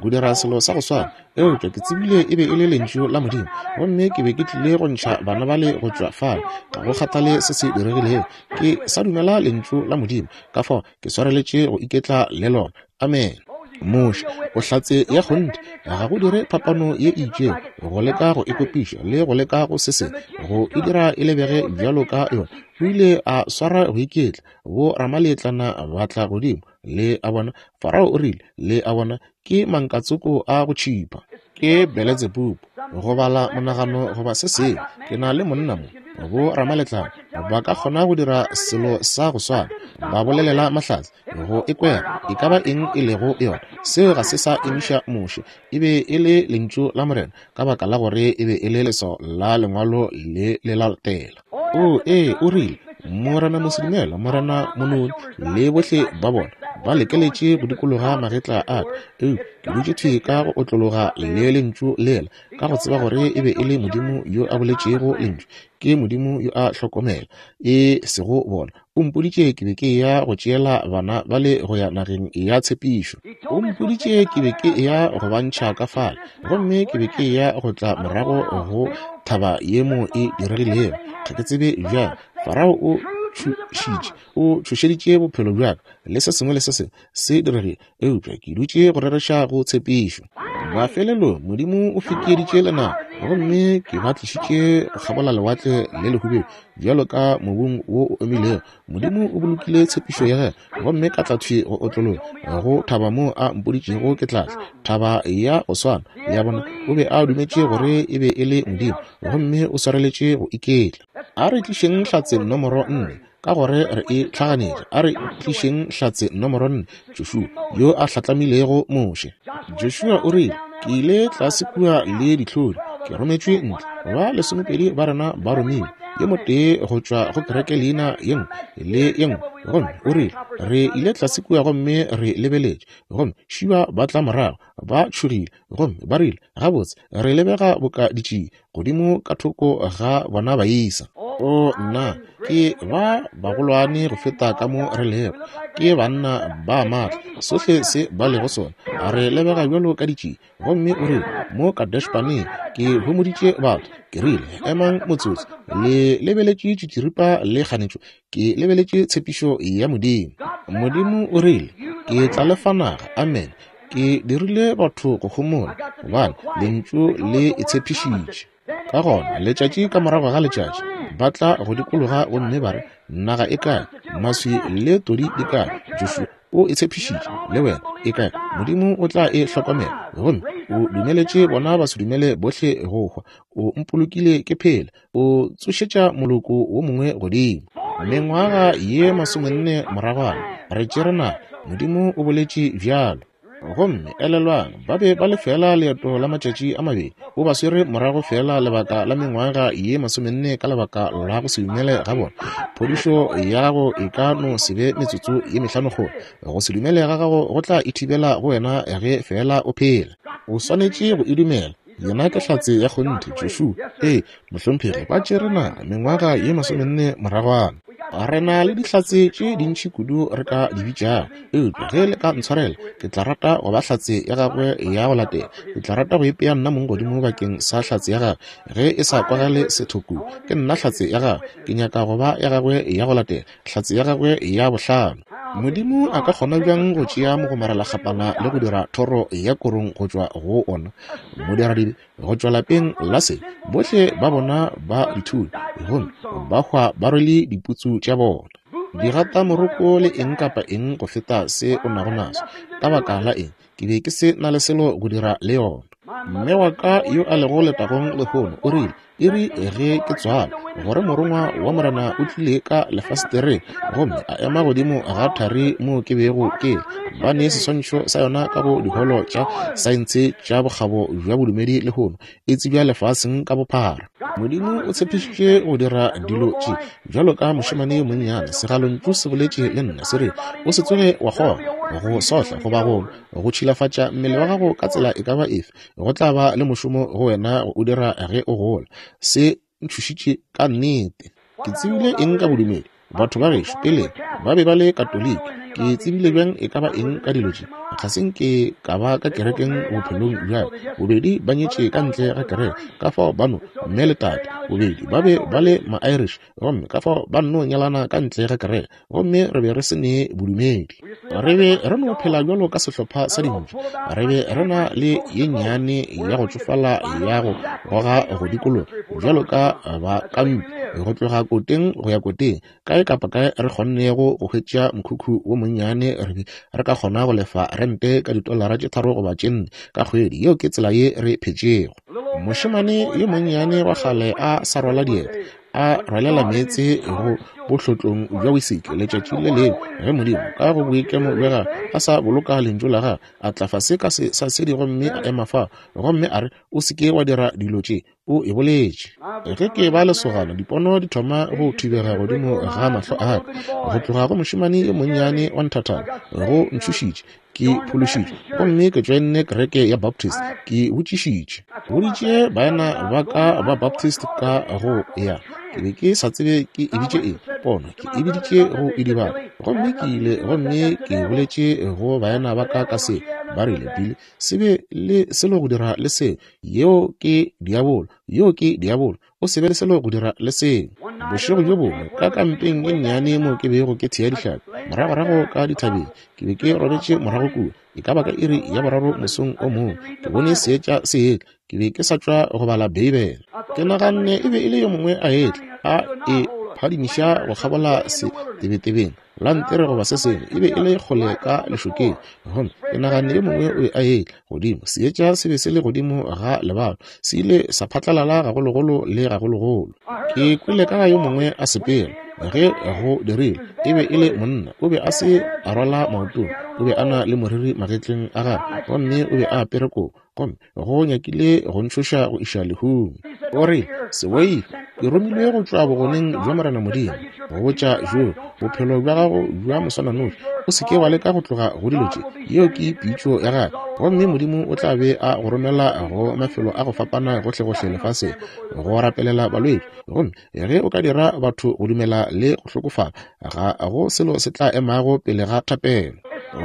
Speaker 1: go dira selo sa go swana. Eupša ke tsebile e be e le lentšu la Modimo, gomme ke be ke tlile go ntšha bana bale go tšwa fale. Ga go kgathale se se diregilego, ke sa dumela lentšu la Modimo, ka fao ke swareletše go iketla le lona. Amen. Moshe o hlatse ya kgonthe, ga go dire phapano ye e itšego go leka go ekopiša le go leka go se se go e dira e lebege bjalo ka yona. O ile a swara go iketla, bo ramaletlana ba tla godimo, le a bona. Farao o rile, le a bona, ke mankatsoko a go tšhipa, ke Beletsebubu, go bala monagano goba se sengwe. Ke na le monna mo, bo ramaletlana ba ka kgona go dira selo sa go swana, ba bolelela mahlatse go ekwera e ka ba eng e lego yona. Seo ga se sa emiša Moshe, e be e le lentšu la Morena, ka baka la gore e be e le leswao la lengwalo le le latela. O ee, o rile, Morena Mosedumela, Morena Mononi, le bohle ba bona ba lekeletše go dikologa magetla a ka, eupša ke dutše thwi ka go otlologa le lentšu lela, ka go tseba gore e be e le Modimo yo a boletšego lentšu. Ke Modimo yo a hlokomela, e sego bona. O mpoditše ke be ke ya go tšeela bana bale go ya nageng ya tshepišo. O mpoditše ke be ke ya go ba ntšha ka fale, gomme ke be ke ya go tla morago go thaba ye mo e diregilego. Ga ke tsebe bjang. Farao o tšhošitše, o tšhošeditše bophelo bja ka, le se sengwe le se sengwe se diregile, eupša ke dutše go rereša go tshepišo. Mafelelong Modimo o fekeeditše lenaba, gomme ke ba tlišitše go kgabola lewatle le lehubedu bjalo ka mobung wo o omilego. Modimo o bolokile tshepišo ya gagwe, gomme ka tla thwi go otlologa go thaba moo a mpoditšego ke tla tla, thaba ya go swana. Le a bona, o be a dumetše gore e be e le Modimo, gomme o swareletše go iketla. A re tlišeng hlatse nomoro nne, ka gore re e hlaganetše. A re tlišeng hlatse nomoro nne, Joshua yo a hlatlamilego Moshe. Joshua o rile, ke ile tlase kua le dihlodi, ke rometšwe ntle, ba lesomepedi ba rena ba romilwe, yo motee go tšwa go kereke leina ye nngwe le ye nngwe. Gomme o rile, re ile tlase kua gomme re lebeletše, gomme šiba ba tla morago, ba tšhogile, gomme ba rile, gabotse, re lebega boka ditšie godimo ka thoko ga bona baisa. O nna, ke ba bagolwane go feta ka mo re lego, ke banna ba matla, sohle se ba lego sona, re lebega bjalo ka ditšie. Gomme o rile, mo Kadesh-Barnea ke homoditše batho, ke rile, emang motsotso, le lebeletše tšitširipa le kganetšo, ke lebeletše tshepišo ya Modimo. Modimo o rile, ke tla le fa naga. Amen. Ke dirile batho go homola, gobane lentšu le e tshepišitše. Ka gona letšatši ka morago ga letšatši ba tla go dikologa gomme ba re, naga e kae? Maswi le todi di kae? Joshua o e tshepišitše, le wena e kae? Modimo o tla e hlokomela. Gomme o dumeletše bona ba se dumele bohle go hwa. O mpolokile ke phela, o tsošetša moloko wo mongwe godimo. Mengwaga ye masomenne moragwana re tšere naga. Modimo o boletše bjalo. Gomme elelwang, ba be ba le fela leeto la matšatši a mabedi, o ba swere morago fela lebaka la mengwaga ye masomenne ka lebaka la go se dumele ga bona. Phodišo ya gago e ka no se be metsotso ye mehlano kgole. Go se dumele ga gago go tla ithibela go wena ge fela o phela. O swanetše go e dumela. Yena ke hlatse ya kgonthe, Joshua. Ee, mohlomphegi, ba tšere naga mengwaga ye masomenne moragwana. Re na le dihlatse tše dintši kudu re ka di bitšago, eupša ge le ka ntshwarela, ke tla rata go ba hlatse ya gagwe ya go latela. Ke tla rata go ipea nna mong godimo bakeng sa hlatse ya gagwe. Ge e sa kwagale sethoku, ke nna hlatse ya gagwe. Ke nyaka go ba ya gagwe ya go latela, hlatse ya gagwe ya bohlano. Modimo a ka kgona bjang go tšea mogomarelakgapana le go dira thoro ya korong go tšwa go ona? Modiradibe go tšwa lapeng la se, bohle ba bona ba dithuli, gomme ba hwa ba rwele diputsu tša bona. Digata moroko le eng kapa eng go feta se o nago naso. Ka baka la eng? Ke be ke se na le selo go dira le yona. Mme wa ka yo a lego letagong lehono o rile, Iri ge ke tswala, gore morongwa wa Morena o tlile ka lefasetereng gomme a ema godimo ga thari moo ke bego ke le. Ba ne seswantšho sa yona ka go diholo tša saense tša bokgabo bja bodumedi lehono, e tsebja lefaseng ka bophara. Modimo o tshepišitše go dira dilo tše. Bjalo ka mošemane yo monnyane, segalontšu se boletše le nna se re, o se tsoge wa kgona go sohla goba go go tšhilafatša mmele wa gago ka tsela e ka ba efe, go tla ba le mošomo go wena go o dira ge o gola. Se ntšhošitše ka nnete. Ke tsebile eng ka bodumedi? Batho ba gešo peleng ba be ba le Katoliki. Ke tsebile bjang e ka ba eng ka dilo tše? Ga se nke ka ba ka kerekeng bophelong bja ka. Bobedi ba nyetše ka ntle ga kereke, ka fao ba no mme le tate. Bobedi ba be ba le ma-Irish, gomme ka fao ba nno nyalana ka ntle ga kereke, gomme re be re se ne bodumedi. Re be re no phela bjalo ka sehlopha sa dintšu. Re be re na le ye nnyane ya go tšofala ya go goga go dikologa bjalo ka bakampi, go tloga koteng go ya koteng, kae kapa kae re kgonnego go hwetša mokhukhu wo monnyane, re be re ka kgona go lefa rente ka ditolara tše tharo goba tše nne ka kgwedi. Yeo ke tsela ye re phetšego. Mošemane yo monnyane wa kgale a sa rwala dieta, a rwalela meetse go bohlotlong bja wisiki letšatši le lengwe, ge Modimo ka go boikemo bja gagwe a sa boloka lentšu la gagwe, a tla fase ka sesasedi gomme a ema fao, gomme a re, o se ke wa dira dilo tše, o e boletše. Ge ke ba lesogana, dipono di thoma go thibega godimo ga mahlo a ka. Go tloga go mošemane yo monnyane wa nthathana, go ntšhošitše. Ke phološitšwe gomme ke tšoenne kereke ya Baptist. Ke botšišitše, boditše baena ba ka ba Baptist ka go ya. Ke be ke sa tsebe ke e bitše eng, pono ke e biditše go idibala. Gomme ke ile gomme ke boletše go baena ba ka ka se. Ba rile, Billy, se be le selo go dira le seo. Yeo ke diabolo, yeo ke diabolo. O se be le selo go dira le seo. Bošego bjo bongwe ka kampeng e nnyane mo ke bego ke thea dihlapi, moragorago ka dithabeng, ke be ke robetše morago kua, e ka ba ka iri ya boraro mosong o mongwe, ke bone seetša se etla. Ke be ke sa tšwa go bala Beibele. Ke naganne e be e le yo mongwe a etla, a e phadimiša go kgabola setebetebeng lantere goba se sengwe. E be e le kgole ka lešokeng, gomme ke naganne yo mongwe o be a etla godimo. Seetša se be se le godimo ga lebalo, se ile sa phatlalala gagologolo le gagologolo. Ke kwele ka ga yo mongwe a sepela. Ge go dirile, e be e le monna. O be a se a rwala maotong, o be a na le moriri magetleng a gagwe, gomme o be a apere kobo, gomme go nyakile go ntšhoša go iša lehung. O re, se boife, ke romilwe go tšwa bogoneng bja Morena Modimo go botša jo bophelo bja gago bja moswananoši. O se ke wa leka go tloga go dilo tše. Yeo ke pitšo ya gagwe, gomme Modimo o tla be a go romela go mafelo a go fapana gohlegohle lefaseng go rapelela balwetši. Gomme ge o ka dira batho go dumela le go hlokofala, ga go selo se tla emago pele ga thapelo.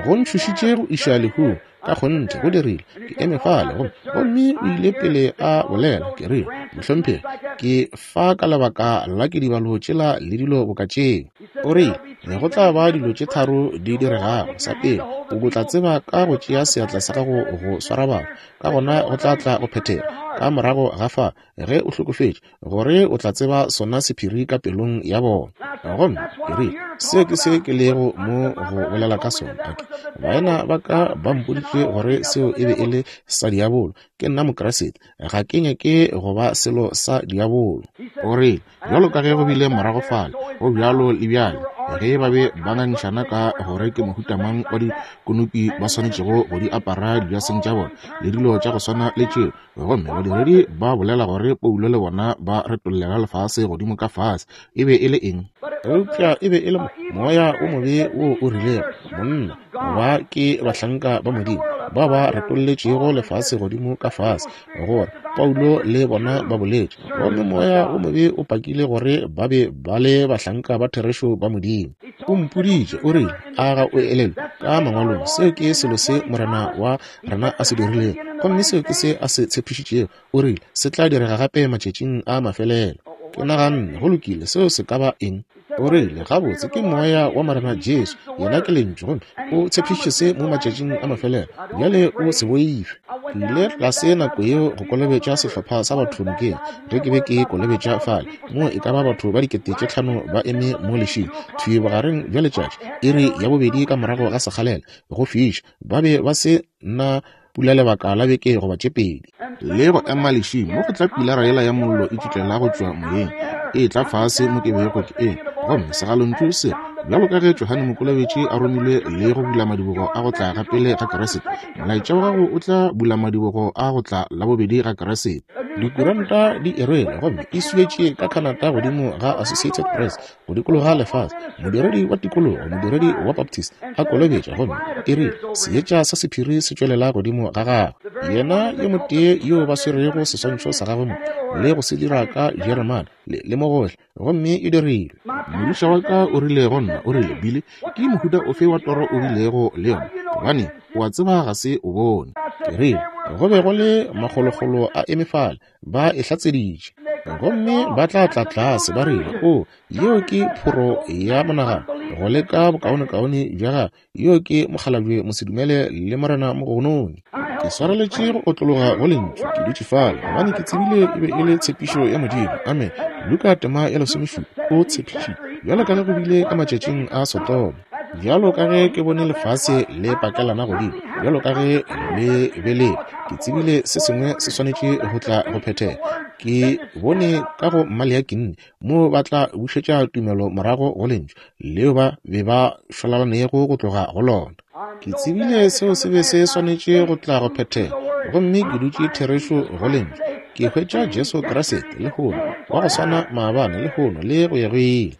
Speaker 1: Go ntšhošitše go iša lehung, ka kgonthe go dirile. Ke eme fale, gomme gomme o ile pele a bolela. Ke rile, mohlomphegi, ke fa ka lebaka la ke dibalo tšela le dilo boka tšeo. O rile, go tla ba dilo tše tharo di diregago. Sa pele, o tla tseba ka go tšea seatla sa gago go swara batho, ka gona go tla tla go phethega. Ka morago ga fa, ge o hlokofetše, gore o tla tseba sona sephiri ka pelong ya bona. Gomme ke rile, seo ke se ke lego mo go bolela ka sona. Okay. Baena ba ka ba mpoditše gore seo e be e le sa diabolo. Ke nna Mokriste, ga ke nyake go ba selo sa diabolo. O rile, bjalo ka ge go bile morago fale, go bjalo le bjale, ge ba be ba ngangišana ka gore ke mohuta mang wa dikonopi ba swanetšego go di apara dijaseng tša bona le dilo tša go swana le tšeo, gomme badiredi ba bolela gore Paulo le bona ba retollela lefase godimo ka fase. E be e le eng? Eupša e be e le moya o mobe wo o rilego, monna ba ke bahlanka ba Modimo ba ba retolletšego lefase godimo ka fase, gore Paulo le bona ba boletše, gomme moya o mobe o pakile gore ba be ba le bahlanka ba therešo ba Modimo. O mpoditše, o rile, a ga o elelwe ka mangwalong, seo ke selo se Morena wa rena a se dirilego, gomme seo ke se a se tshepišitšego. O rile, se tla direga gape matšatšing a mafelelo. Ke naganne, go lokile, seo se ka ba eng? O rile, gabotse ke moya wa Morena Jesu, yena ke lentšu, gomme o tshepišitše se mo matšatšing a mafelelo. Bjale o se boife. Ke ile tlase nako yeo go kolobetša sehlopha sa batho nokeng. Ge ke be ke kolobetša fale, mo e ka ba batho ba dikete tše tlhano ba eme mo lešing, thwi bogareng bja letšatši, iri ya bobedi ka morago ga sekgalela, go fiša. Ba be ba se na pula lebaka la beke goba tše pedi. Le go ema lešing mo go tla pilara yela ya mollo e tšutlela go tšwa moyeng, e tla fase mo ke bego ke eme. Gomme segalontšu se, bjalo ka ge Johane Mokolobetši a romilwe le go bula madibogo a go tla ga pele ga Kriste, molaetša wa gago o tla bula madibogo a go tla la bobedi ga Kriste. Dikuranta di e rwele gomme e swietše ka Canada godimo ga Associated Press go dikologa lefase. Modiredi wa tikologo, modiredi wa Baptist a kolobetša, gomme e rile seetša sa sephiri se tšwelela godimo ga gagwe. Yena yo motee yo ba swerego seswantšho sa gagwe mo le go se dira ka Jeremane le, le mo gohle, gomme e dirilwe. Modiša wa ka o rile go nna, o rile, Billy, ke mohuta ofe wa toro o bilego le yona? Gobane o a tseba ga se o bone. Ke rile, go be go le makgolokgolo a eme fale, ba e hlatseditše. Gomme ba tla tla tlase ba rile, o, yeo ke phoro ya monagano, go leka bokaonekaone bja gagwe, yeo ke mokgalabje mosedumele le morena mogononi. Ke swareletše go otlologa go lentšu, ke dutše fale, gobane ke tsebile e be e le tshepišo ya Modimo. Amen. Luka tema ya lesomešupa, o tshepišitše, bjalo ka ge go bile ka matšatšing a Sodoma, bjalo ka ge ke bone lefase le pakelana godimo, bjalo ka ge le be le, ke tsebile se sengwe se swanetše go tla go phethega. Ke bone ka go Maleakinne mo ba tla bušetša tumelo morago go lentšu leo ba be ba šwalalanego go tloga go lona. Ke tsebile seo se be se swanetše go tla go phethega, gomme ke dutše therešo go lentšu. Ke hwetša Jesu Kriste lehono, wa go swana maabane, lehono le go ya go ile.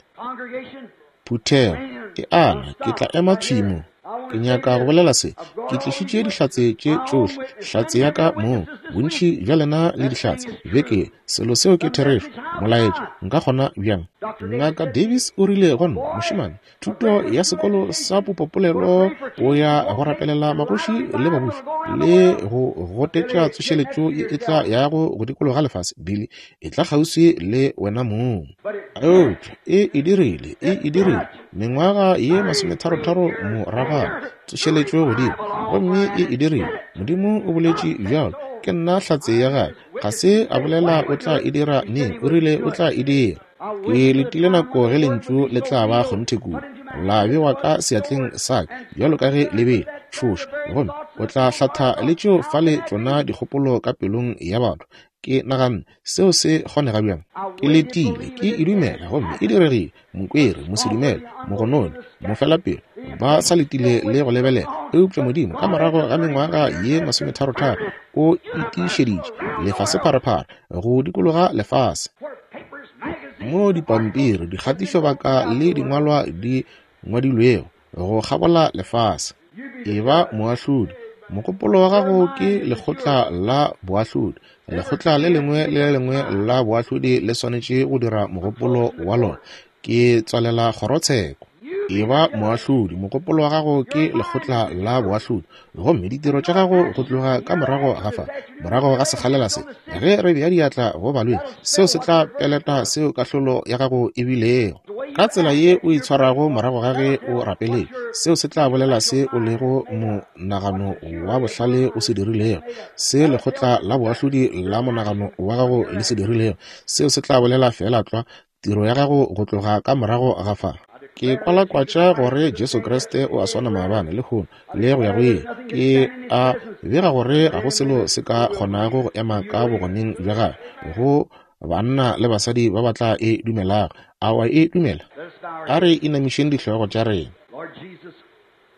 Speaker 1: Phuthego e ana, ke tla ema thwi mo. Ke nyaka go bolela se. Ke tlišitše dihlatse tše tšohle, hlatse ya ka mong, bontši bja lena le dihlatse beke. Selo seo ke therešo, molaetša nka kgona bjang? Ngaka Davis o rile go nna, mošemane, thuto ya sekolo sa popopolelo o ya go rapelela magoši le babuši le go gotetša tsošeletšo ye e tla yago go dikologa lefase, Billy, e tla kgauswi le wena mong. Eupša e e dirile, e e dirile mengwaga ye masometharotharo moragwana, tsošeletšo godimo, gomme e e dirile. Modimo o boletše bjalo, ke nna hlatse ya gagwe. Ga se a bolela o tla e dira neng, o rile o tla e dira. Ke letile nako ge lentšu le tla ba kgonthe kudu, la bewa ka seatleng sa ka bjalo ka ge le bele tšhoša, gomme o tla hlatha le tšeo fale tšona dikgopolo ka pelong ya batho. Ke naganne seo se kgonega bjang? Ke letile, ke e dumela, gomme e diregile. Mokwere, mosedumele, mogononi, mofelapelo, ba sa letile le go lebelela. Eupša Modimo ka morago ga mengwaga ye masometharotharo o itišeditše lefasepharephare go dikologa lefase, mo dipampiri, dikgatišobaka le dingwalwa di ngwadilwego go kgabola lefase. E ba moahlodi. Mogopolo wa gago ke lekgotla la boahlodi. Lekgotla le lengwe le le lengwe la boahlodi le swanetše go dira mogopolo wa lona. Ke tswalela kgorotsheko. E ba moahlodi. Mogopolo wa gago ke lekgotla la boahlodi, gomme ditiro tša gago go tloga ka morago ga fa, morago ga sekgalela se, ge re bea diatla go balwetši, seo se tla peleta seo kahlolo ya gago e bilego. Ka tsela ye o itshwarago morago ga ge o rapeletše, seo se tla bolela se o lego monagano wa bohlale o se dirilego, se lekgotla la boahlodi la monagano wa gago le se dirilego, seo se tla bolela feela tlwa tiro ya gago go tloga ka morago ga fa. Ke kwalakwatša gore Jesu Kriste o a swana maabane, lehono le go ya go ile. Ke a bega gore ga go selo se ka kgonago go ema ka bogoneng bja gagwe go banna le basadi ba ba tla e dumelago. A wa e dumela? A re inamišeng dihlogo tša rena.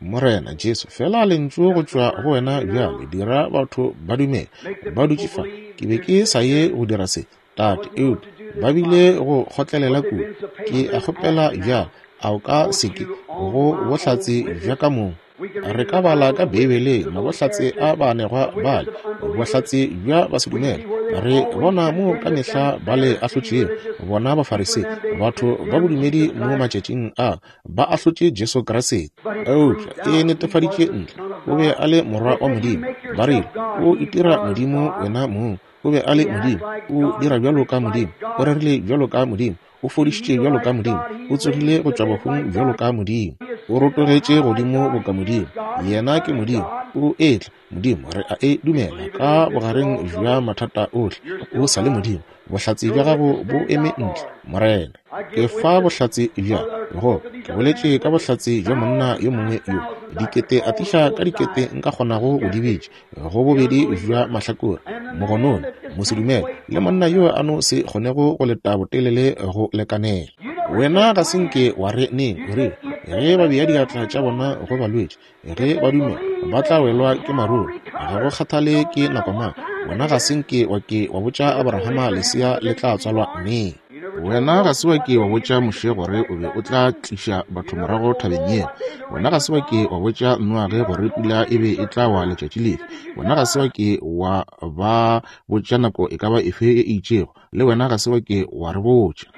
Speaker 1: Morena Jesu, fela lentšu go tšwa go wena bjale, dira batho ba dumele. Ba dutše fa. Ke be ke sa ye go dira se, Tate, eupša ba bile go kgotlelela kudu. Ke a kgopela bjale, a o ka se ke go bohlatse bja ka mong? Re ka bala ka Beibeleng mabohlatse a baanegwa bale, bohlatse bja basedumele. Re bona mo ka mehla ba le ahlotšego, bona Bafarisei, batho ba bodumedi mo matšatšing a, ba ahlotše Jesu Kriste. Eupša e netefaditše ntle, o be a le morwa wa Modimo. Ba rile, o itira Modimo wena mong. O be a le Modimo, o dira bjalo ka Modimo, o rerile bjalo ka Modimo, o fodišitše bjalo ka Modimo, o tsogile go tšwa bahung bjalo ka Modimo, o rotogetše godimo boka Modimo. Yena ke Modimo, o etla Modimo, re a e dumela ka bogareng bja mathata ohle, o sa le Modimo. Bohlatse bja gago bo eme ntle, Morena. Ke fa bohlatse bja go ke boletše ka bohlatse bja monna yo mongwe yo dikete atiša ka dikete nka kgonago go di bitša, go bobedi bja mahlakore, mogononi, mosedumele, le monna yo a no se kgonego go leta botelele go lekanela. Wena ga se nke wa re neng, o rile, ge ba bea diatla tša bona go balwetši, ge ba dumela, ba tla welwa ke maruru. Ga go kgathale ke nako mang, wena ga se nke wa ke wa botša Abrahama lesea le tla tswalwa neng. Wena ga se wa ke wa botša Moshe gore o be o tla tliša batho morago thabeng yela. Wena ga se wa ke wa botša Noage gore pula e be e tla wa letšatši lefe. Wena ga se wa ke wa ba botša nako e ka ba efe e itšego, le wena ga se wa ke wa re botša.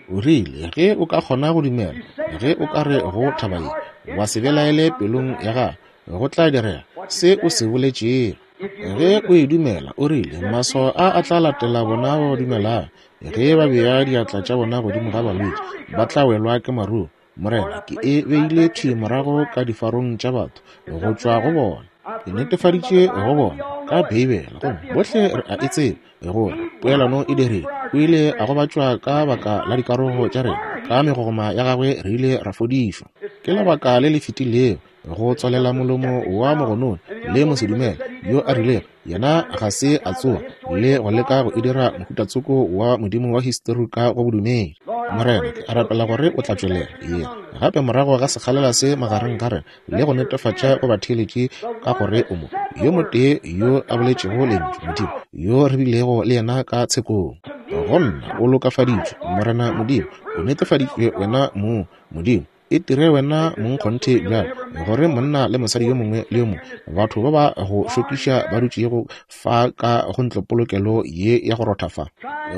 Speaker 1: O rile, ge o ka kgona go dumela, ge o ka re go thaba ye, wa se belaele pelong ya gago, go tla direga se o se boletšego. Ge o e dumela, o rile, maswao a a tla latela bona ba ba dumelago. Ge ba bea diatla tša bona godimo ga balwetši, ba tla welwa ke maruru. Morena, ke e beile thwi morago ka difarong tša batho go tšwa go bona. Ke netefaditše go bona ka Beibele, gomme bohle re a e tseba gore poelano e dirile. O ile a gobatšwa ka baka la dikarogo tša rena, ka megogoma ya gagwe re ile ra fodišwa. Ke lebaka le le fetilego go tswalela molomo wa mogononi le mosedumele yo a rilego yena ga se a tsoga le go leka go e dira mohutatsoko wa modimo wa histori ka go bodumedi. Morena, ke a rapela gore o tla tšwelela yena gape morago ga sekgalela se magareng ga rena le go netefatša go batheeletši ka gore o mo yo motee yo a boletšego lentšu Modimo yo re bilego le yena ka tshekong. Go nna o lokafaditšwe, Morena Modimo, o netefaditšwe wena mong, Modimo. E tire wena mong kgonthe bjalo gore monna le mosadi yo mongwe le yo mongwe, batho ba ba go šokiša ba dutšego fa ka go ntlopolokelo ye ya go rotha fa,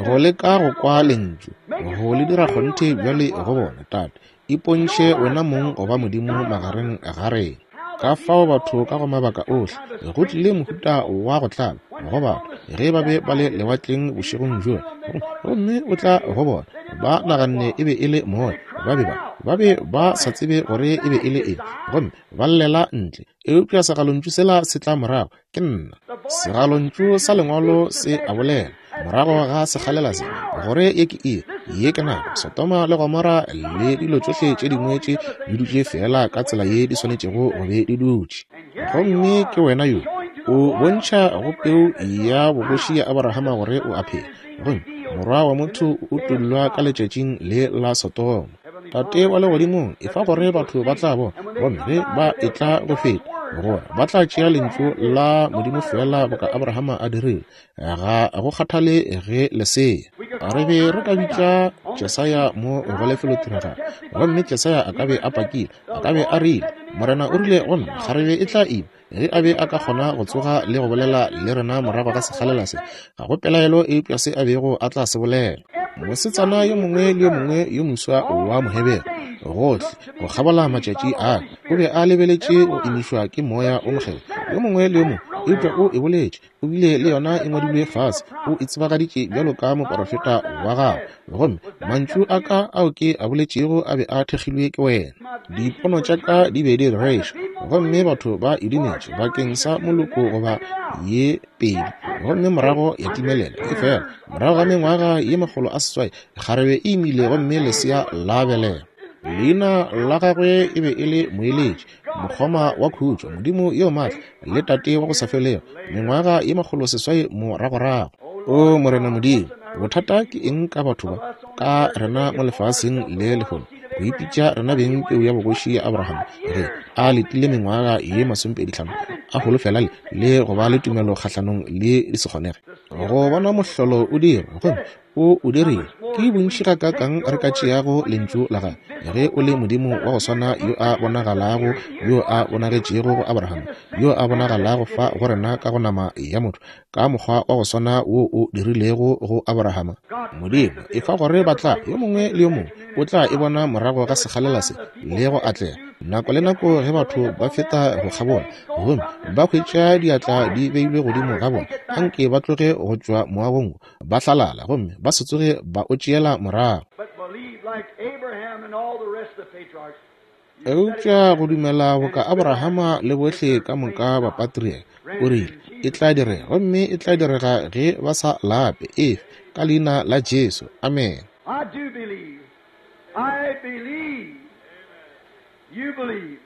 Speaker 1: go leka go kwa lentšu, go le dira kgonthe bjale go bona. Tate, ipontšhe wena mong go ba Modimo magareng ga rena. Ka fao batho ka go mabaka ohle go tlile mohuta wa go tlala go batho ge ba be ba le lewatleng bošegong bjola, gomme o tla go bona ba naganne e be e le moya, ba be ba ba be ba sa tsebe gore e be e le eng, gomme ba llela ntle. Eupša segalontšu sela se tla morago, ke nna. Segalontšu sa lengwalo se a bolela morago ga sekgalela se, gore ye ke iri, ye ke nako. Sodoma le Gomora le dilo tšohle tše dingwe tše di dutše fela ka tsela ye di swanetšego go be di dutše. Gomme ke wena yo o bontšha go peu ya bogoši ya Abrahama gore o a phela, gomme morwa wa motho o utollwa ka letšatšing le la Sodoma. Tate wa legodimong, e fa gore batho ba tla bona, gomme ge ba etla go feta, gore ba tla tšea lentšu la Modimo fela boka Abrahama a dirile, ga go kgathale ge lesea. Re be re ka bitša Jesaya mo go lefelotiragalo, gomme Jesaya a ka be a pakile, a ka be a rile, Morena o rile go nna, kgarebe e tla ima. Ge a be a ka kgona go tsoga le go bolela le rena morago ga sekgalela se, ga go pelaelo eupša se a bego a tla se bolela. Mosetsana yo mongwe le yo mongwe yo moswa wa Mohebere gohle go kgabola matšatši a o be a lebeletše go imišwa ke moya o mokgethwa yo mongwe le yo mongwe, eupša o e boletše, o bile le yona e ngwadilwe fase, o e tsebagaditše bjalo ka moporofeta wa gago, gomme mantšu a ka ao ke a boletšego a be a thekgilwe ke wena. Dipono tša ka di be di rereša, gomme batho ba e dumetše bakeng sa moloko goba ye pedi, gomme morago ya timelela. Efela morago ga mengwaga ye makgolo a seswai, kgarebe e imile gomme lesea la belega. Leina la gagwe e be e le Moeletši, mokgoma wa khutšo, Modimo yo maatla le Tate wa go sa felego, mengwaga ye makgolo seswai moragorago. O Morena Modimo, bothata ke eng ka batho ba ka rena mo lefaseng le lehono, go ipitša rena beng peu ya bogoši ya Abraham, ge a letile mengwaga ye masomepedi hlano a holofela le le go ba le tumelo kgahlanong le di se kgonege go bona mohlolo o dira, gomme o o dirile. Ke bontši gakaakang re ka tšeago lentšu la gagwe, ge o le Modimo wa go swana yo a bonagalago, yo a bonagetšego go Abraham, yo a bonagalago fa go rena ka go nama ya motho, ka mokgwa wa go swana wo o dirilego go Abrahama. Modimo, e fa gore ba tla yo mongwe le yo mongwe o tla e bona morago ga sekgalela se le go atlega. Nako le nako ge batho ba feta go kgabola gomme ba hwetša diatla di beilwe godimo ga bona, anke ba tloge go tšwa moagong ba hlalala gomme ba se tsoge ba o tšeela morago.
Speaker 2: But believe like Abraham and all the rest of the patriarchs.
Speaker 1: Eupša go dumela boka Abrahama le bohle ka moka ba patriarch, o rile, e tla direga, gomme e tla direga ge ba sa lape, efe, ka leina la Jesu. Amen.
Speaker 2: I do believe. I believe. You believe.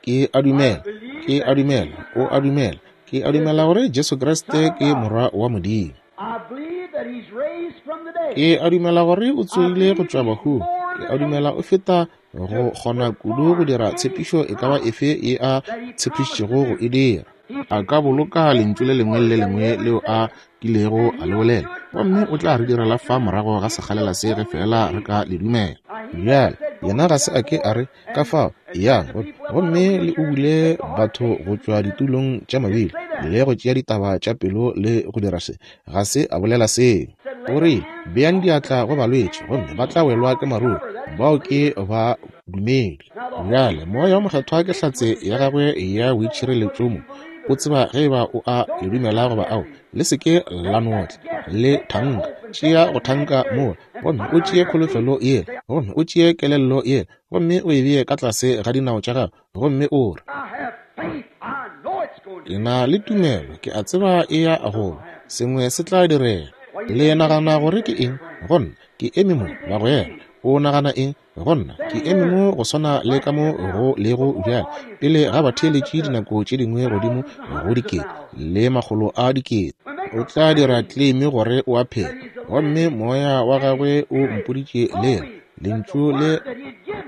Speaker 1: Ke a dumela, ke a dumela, o a dumela, ke a dumela gore Jesu Kriste ke Morwa wa Modimo.
Speaker 2: I believe that he's raised from the dead.
Speaker 1: Ke a dumela gore o tsogile go tšwa bahung. Ke a dumela o feta go kgona kudu go dira tshepišo e ka ba efe ye a tshepišitšego go e dira. A ka boloka lentšu le lengwe le le lengwe leo a kilego a le bolela, gomme o tla re direla fa morago ga sekgalela se ge fela re ka le dumela. Bjale yena ga se a ke a re ka fao yang gomme le ubule batho go tšwa ditulong tša mabili le go tšea ditaba tša pelo le go dira se. Ga se a bolela seo. O re beang diatla go balwetši gomme ba tla welwa ke maruru, bao ke ba dumedi. Bjale Moya wo Mokgethwa ke hlatse ya gagwe ya boitšhireletšo mo. O tseba ge eba o a le dumela goba ao. Le se ke la notla, le thanka. Tšea go thanka mola, gomme o tšee kholofelo yela, gomme o tšee kelello yela, gomme o e bee ka tlase ga dinao tša gago, gomme o re,
Speaker 2: I have faith. I know it's going to.
Speaker 1: Ke na le tumelo, ke a tseba e ya go ba, sengwe se tla direga. Le nagana gore ke eng? Go nna, ke eme mo, bagwera. O nagana eng? Go nna, ke eme mo go swana le ka mo go lego bjale, pele ga batheeletši dinako tše dingwe godimo go dikete le makgolo a dikete. O tla dira claim gore o a phela, gomme moya wa gagwe o mpoditše lela lentšu le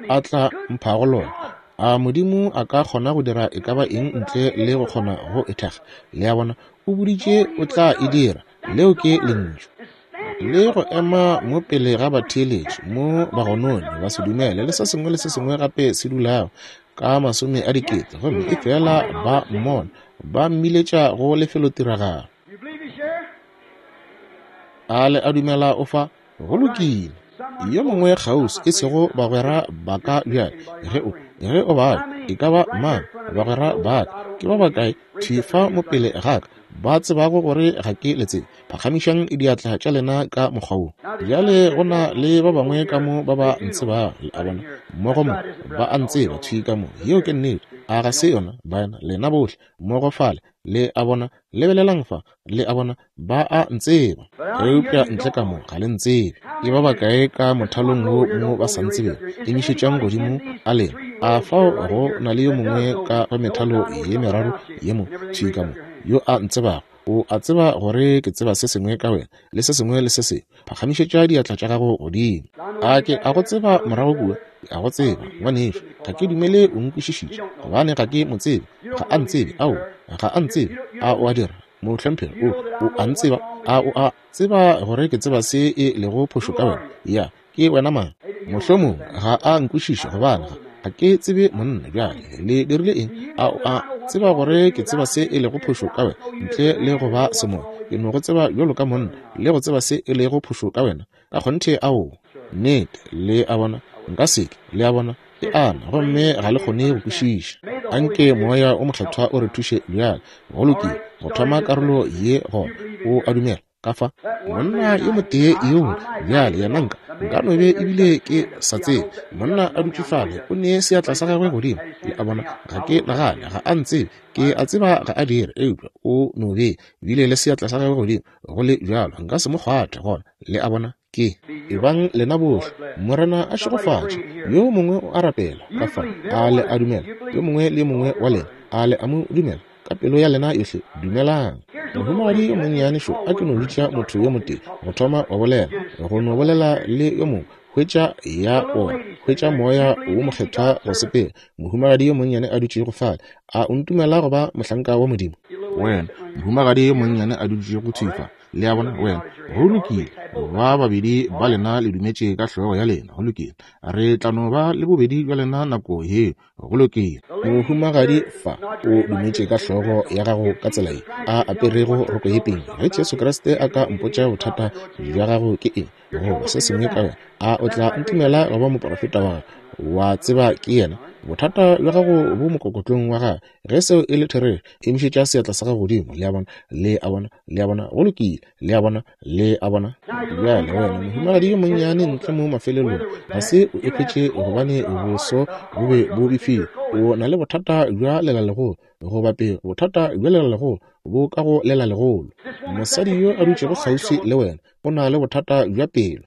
Speaker 1: a tla mphago lona. A Modimo a ka kgona go dira e ka ba eng ntle le go kgona go e thekga? Le a bona, o boditše o tla e dira. Leo ke lentšu. Le go ema mo pele ga batheeletši mo bagononi ba se dumele le se sengwe le se sengwe gape se dulago ka masome a dikete, gomme e fela ba mmona ba mmiletša go lefelotiragalo.
Speaker 2: You believe he's here?
Speaker 1: A le a dumela o fa? Go lokile. Yo mongwe kgauswi, e sego bagwera ba ka bjale, ge o ge o bala e ka ba mang bagwera ba ka, ke ba bakae thwi fa mo pele ga ka ba tsebago gore ga ke le tsebe? Phagamišang diatla tša lena ka mokgwa wo. Bjale go na le ba bangwe ka mo ba ba ntsebago, le a bona, mmogo mo ba a ntseba thwi ka mo. Yeo ke nnete. A ga se yona, baena? Lena bohle mmogo fale, le a bona, lebelelang fa, le a bona, ba a ntseba. Eupša ntle ka mo ga le ntsebe. Ke ba bakae ka mothalong wo mo ba sa ntsebego? Emišetšang godimo a lena. A fao go na le yo mongwe ka go methalo ye meraro ye mo thwi ka mo yo a ntsebago? O a tseba gore ke tseba se sengwe ka wena le se sengwe le se sengwe. Phagamišetša diatla tša gago godimo. A ke a go tseba morago kua? Ke a go tseba, ngwanešu. Ga ke dumele o nkwešišitše, gobane ga ke mo tsebe. Ga a ntsebe. Ao, ga a ntsebe. A o a dira? Mohlomphegi, o o a ntseba? A o a tseba gore ke tseba se e lego phošo ka wena? Ya, ke wena mang? Mohlomongwe ga a nkwešiše, gobane ga ga ke tsebe monna. Bjale le dirile eng? A o a tseba gore ke tseba se e lego phošo ka wena? Ntle le go ba semoya, ke no go tseba bjalo ka monna le go tseba se e lego phošo ka wena. Ka kgonthe, ao, nnete. Le a bona, nka se ke. Le a bona, e ana, gomme ga le kgone go kwešiša. Anke Moya o Mokgethwa o re thuše bjale. Go lokile, go thoma karolo ye gona. O a dumela ka fa monna yo motee yoo bjale yena nka nka no be ebile ke sa tsebe. Monna a dutše fale, o ne seatla sa gagwe godimo. Le a bona, ga ke nagane ga a ntsebe, ke a tseba ga a dire, eupša o no be bile le seatla sa gagwe godimo. Go le bjalo nka se mo kgwathe gona. Le a bona, ke ebang lena bohle. Morena a šegofatše. Yo mongwe o a rapela ka fa. A le a dumela? Yo mongwe le yo mongwe wa lena, a le a mo dumela ka pelo ya lena yohle? Dumelang. Mohumagadi yo monnyane šo, a ke no bitša motho yo motee go thoma go bolela, go no bolela le yo mongwe, hwetša ya ona, hwetša Moya wo Mokgethwa go sepela. Mohumagadi yo monnyane a dutšego fale, a o ntumela go ba mohlanka wa Modimo? Wena, mohumagadi yo monnyane a dutšego thwi fa, le a bona, wena, go lokile. Ba babedi ba lena le dumetše ka hlogo ya lena. Go lokile. Re tla no ba le bobedi bja lena nako yeo. Go lokile. Mohumagadi fa o dumetše ka hlogo ya gago ka tsela ye a aperego roko ye pink. Ge Jesu Kriste a ka mpotša bothata bja gago ke eng, goba se sengwe ka wena, a o tla ntumela go ba moprofeta wa gagwe? Wa tseba ke yena. Bothata bja gago bo mokokotlong wa gago. Ge seo e le therešo, emišetša seatla sa gago godimo. Le a bona? Le a bona? Le a bona? Go lokile. Le a bona? Le a bona? Bjale wena, mohumagadi yo monnyane ntle mo mafelelong, ga se o ekhwetše gobane boso bo be bo befile. O na le bothata bja lelalegolo, goba pego, bothata bja lelalegolo bo ka go lelalegolo. Mosadi yo a dutšego kgauswi le wena o na le bothata bja pelo.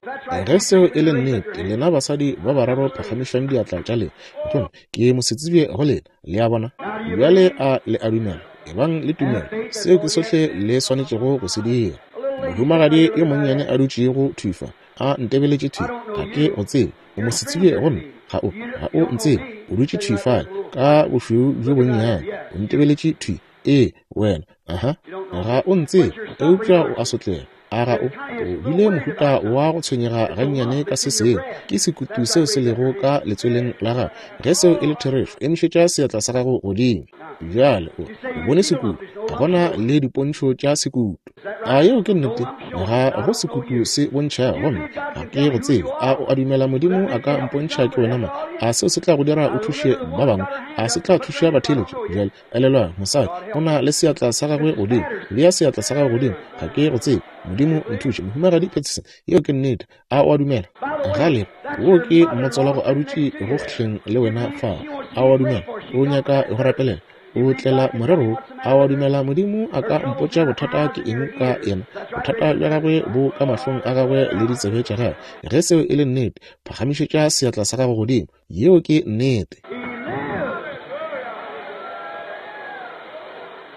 Speaker 1: Ge seo e le nnete, lena basadi ba bararo phagamišang diatla tša lena. Gomme ke mosetsebje go lena. Le a bona? Bjale a le a dumela? Ebang le tumelo. Seo ke sohle le swanetšego go se dira. Mohumagadi yo monnyane a dutšego thwi fa, a ntebeletše thwi, ga ke go tsebe. O mosetsebje go nna. Ga o, ga o ntsebe. O dutše thwi fale ka bošweu bjo bonnyane, o ntebeletše thwi. Ee, wena, aha, ga o ntsebe, eupša o a sotlega. A ga o, o bile mohuta wa go tshwenyega gannyane ka se sengwe. Ke sekutu seo se lego ka letsweleng la gago. Ge seo e le therešo, emišetša seatla sa gago godimo. Bjale o, o bone sekutu, ga gona le dipontšho tša sekutu. A yeo ke nnete? Ga go sekutu se bontšhago, gomme ga ke go tsebe. A o a dumela Modimo a ka mpontšha ke wena mang? A seo se tla go dira o thuše ba bangwe? A se tla thuša batheeletši? Bjale elelwang, mosadi o na le seatla sa gagwe godimo. Bea seatla sa gago godimo. Ga ke go tsebe. Modimo nthuše. Mohumagadi Peterson, yeo ke nnete. A o a dumela? Gale, wo ke mmotswalago a dutše go hleng le wena fao. A o a dumela? O nyaka go rapelela? O tlela morero. A o a dumela Modimo a ka mpotša bothata ke eng ka yena? Bothata bja gagwe bo ka mahlong a gagwe le ditsebe tša gagwe. Ge seo e le nnete, phagamišetša seatla sa gago godimo. Yeo ke nnete.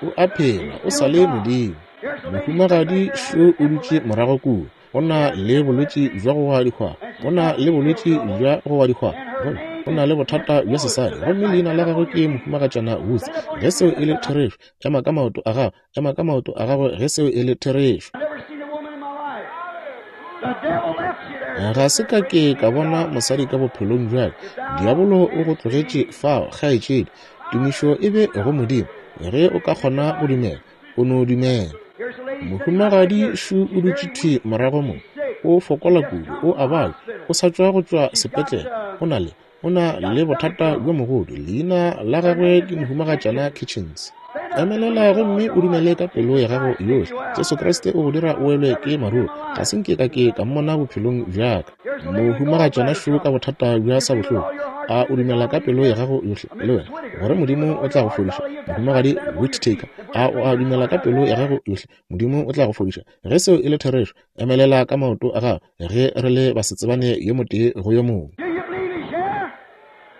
Speaker 1: O a phela, o sa le Modimo. Mohumagadi šo o dutše morago kua. O na le bolwetši bja go wa dihwaba. O na le bolwetši bja go wa dihwaba. Gomme o na le bothata bja sesadi. Gomme leina la gagwe ke Mohumagatšana Woods. Ge seo e le therešo, ema ka maoto a gago. Ema ka maoto a gago ge seo e le therešo. Ga se ka ke ka bona mosadi ka bophelong bja ka. Diabolo o go tlogetše fao, kgaetšedi. Tumišo e be go Modimo. Ge o ka kgona go dumela, o no dumela. Mohumagadi šo o dutše thwi morago mo. O fokola kudu, o a babja, o sa tšwa go tšwa sepetlele. O na le, o na le bothata bjo mogodu. Leina la gagwe ke Mohumagatšana Kitchens. Emelela gomme o dumele ka pelo ya gago yohle. Jesu Kriste o go dira o welwe ke maruru. Ga se nke ka ke ka mmona bophelong bja ka. Mohumagatšana šo ka bothata bja sa bohloko. A o dumela ka pelo ya gago yohle le wena gore Modimo o tla go fodiša? Mohumagadi Whittaker, a o a dumela ka pelo ya gago yohle Modimo o tla go fodiša? Ge seo e le therešo, emelela ka maoto a gago ge re le basetsebane yo motee go yo mongwe.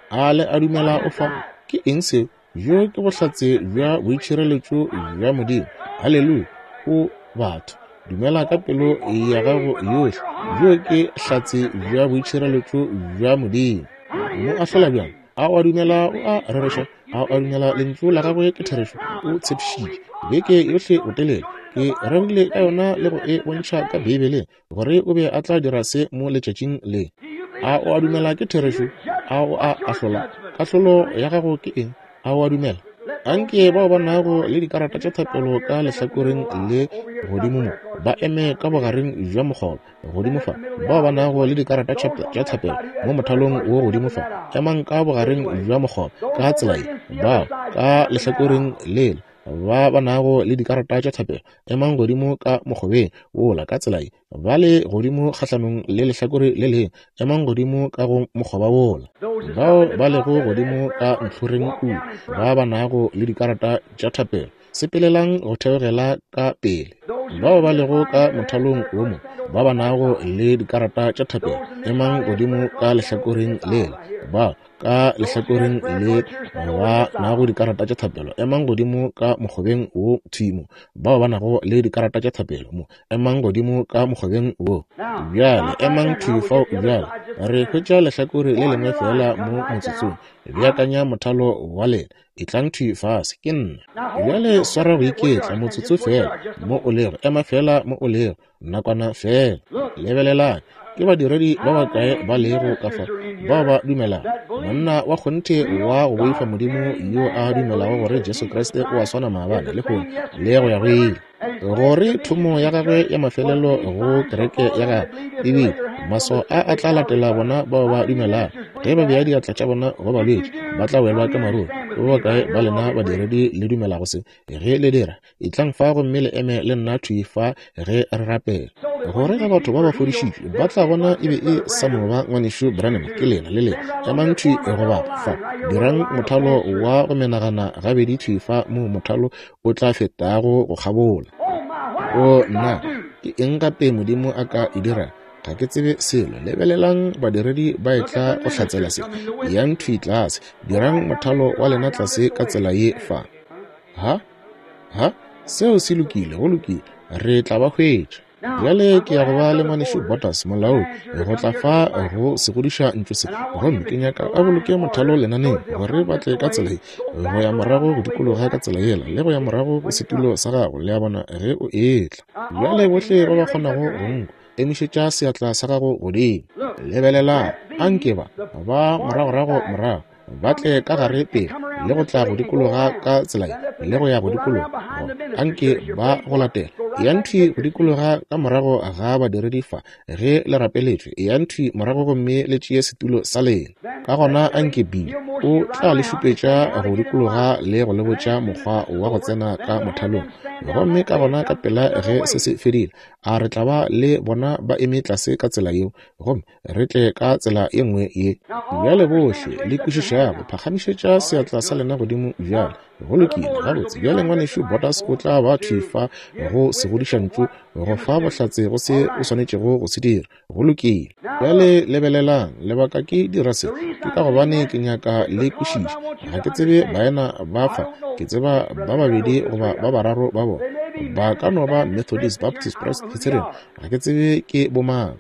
Speaker 1: A le a dumela o fa? Ke eng seo? Bjo ke bohlatse bja boitšhireletšo bja Modimo. Haleluya! O batho, dumela ka pelo ya gago yohle. Bjo ke hlatse bja boitšhireletšo bja Modimo. Mo ahlola bjang? A o a dumela o a rereša? A o a dumela lentšu la gagwe ke therešo? O tshepišitše beke yohle botelele. Ke rerile ka yona le go e bontšha ka Beibeleng gore o be a tla dira se mo letšatšing le. A o a dumela ke therešo? A o a ahlola? Kahlolo ya gago ke eng? A o a dumela? Anke bao ba nago le dikarata tša thapelo ka lehlakoreng le godimo mo ba eme ka bogareng bja mokgoba godimo fa. Bao ba nago le dikarata tša thapelo mo mothalong wo godimo fa, emang ka bogareng bja mokgoba ka tsela ye. Bao ka lehlakoreng lela ba ba nago le dikarata tša thapelo, emang godimo ka mokgobeng wola ka tsela ye. Ba le godimo kgahlanong le lehlakore le lengwe, emang godimo ka go mokgoba wola. Bao ba lego godimo ka ntlhoreng kua, ba ba nago le dikarata tša thapelo, sepelelang go theogela ka pele. Bao ba lego ka mothalong wo mo, ba ba nago le dikarata tša thapelo, emang godimo ka lehlakoreng lela. Bao ka lehlakoreng le ba nago dikarata tša thapelo, emang godimo ka mokgobeng wo thimo. Bao ba nago le dikarata tša thapelo mo, emang godimo ka mokgobeng wo. Bjale emang thwi fao. Bjale re hwetša lehlakore le lengwe fela mo motsotsong. Beakanya mothalo wa lena. Etlang thwi fase, ke nna. Bjale swara go iketla motsotso fela mo o lego. Ema fela mo o lego nakwana fela. Lebelelang, ke badiredi ba bakae ba lego ka fa bao ba dumelago? Monna wa kgonthe wa go boifa Modimo yo a dumelago gore Jesu Kriste o a swana maabane, lehono le go ya go ile, gore thomo ya gagwe ya mafelelo go kereke ya gagwe e bile Maswao a a tla latela bona bao ba dumelago. Ge ba bea diatla tša bona go balwetši, ba tla welwa ke maruru. Ba bakae ba lena badiredi le dumelago se? Ge le dira, etlang fa gomme le eme le nna thwi fa ge re rapela. Gore ge batho ba ba fodišitšwe ba tla bona e be e sa no ba ngwanešu Branham, ke lena le lena. Emang thwi go bapa fa, dirang mothalo wa go menagana gabedi thwi fa moo mothalo o tla fetago go kgabola. O nna, ke eng gape Modimo a ka e dira? Ga ke tsebe selo. Lebelelang badiredi ba etla go hlatsela se. Yang thwi tlase, dirang mothalo wa lena tlase ka tsela ye fa. Ha? Ha? Seo se lokile, go lokile. Re tla ba hwetša. Bjale ke ya go ba le ngwanešu Botas molaodi go tla fa go segodiša ntlo se, gomme ke nyaka a boloke mothalo lenaneng gore ba tle ka tsela ye, go ya morago go dikologa ka tsela yela, le go ya morago go setulo sa gago, le a bona, ge o etla. Bjale bohle ba ba kgonago go nkwa, emišetša seatla sa gago godimo. Lebelelang, anke ba ba moragorago morago ba tle ka gare pele le go tla go dikologa ka tsela ye, le go ya go dikologa, anke ba go latela. Eyang thwi go dikologa ka morago ga badiredi fa ge le rapeletšwe. Eyang thwi morago gomme le tšee setulo sa lena. Ka gona anke Bill o tla le šupetša go dikologa le go le botša mokgwa wa go tsena ka mothalong. Gomme ka gona ka pela ge se se fedile, a re tla ba le bona ba eme tlase ka tsela yeo, gomme re tle ka tsela ye nngwe ye. Bjale bohle le kwešišago, phagamišetša seatla sa lena godimo bjale. Go lokile, gabotse. Bjale ngwanešu Botas o tla ba thwi fa go segodišantšu go fa bohlatse go se o swanetšego go se dira. Go lokile. Bjale lebelelang, lebaka ke dira se ke ka gobane ke nyaka le kwešiša. Ga ke tsebe baena ba fa, ke tseba ba babedi goba ba bararo ba bona. Ba ka no ba Methodist, Baptist, Presbyterian, ga ke tsebe ke bomang.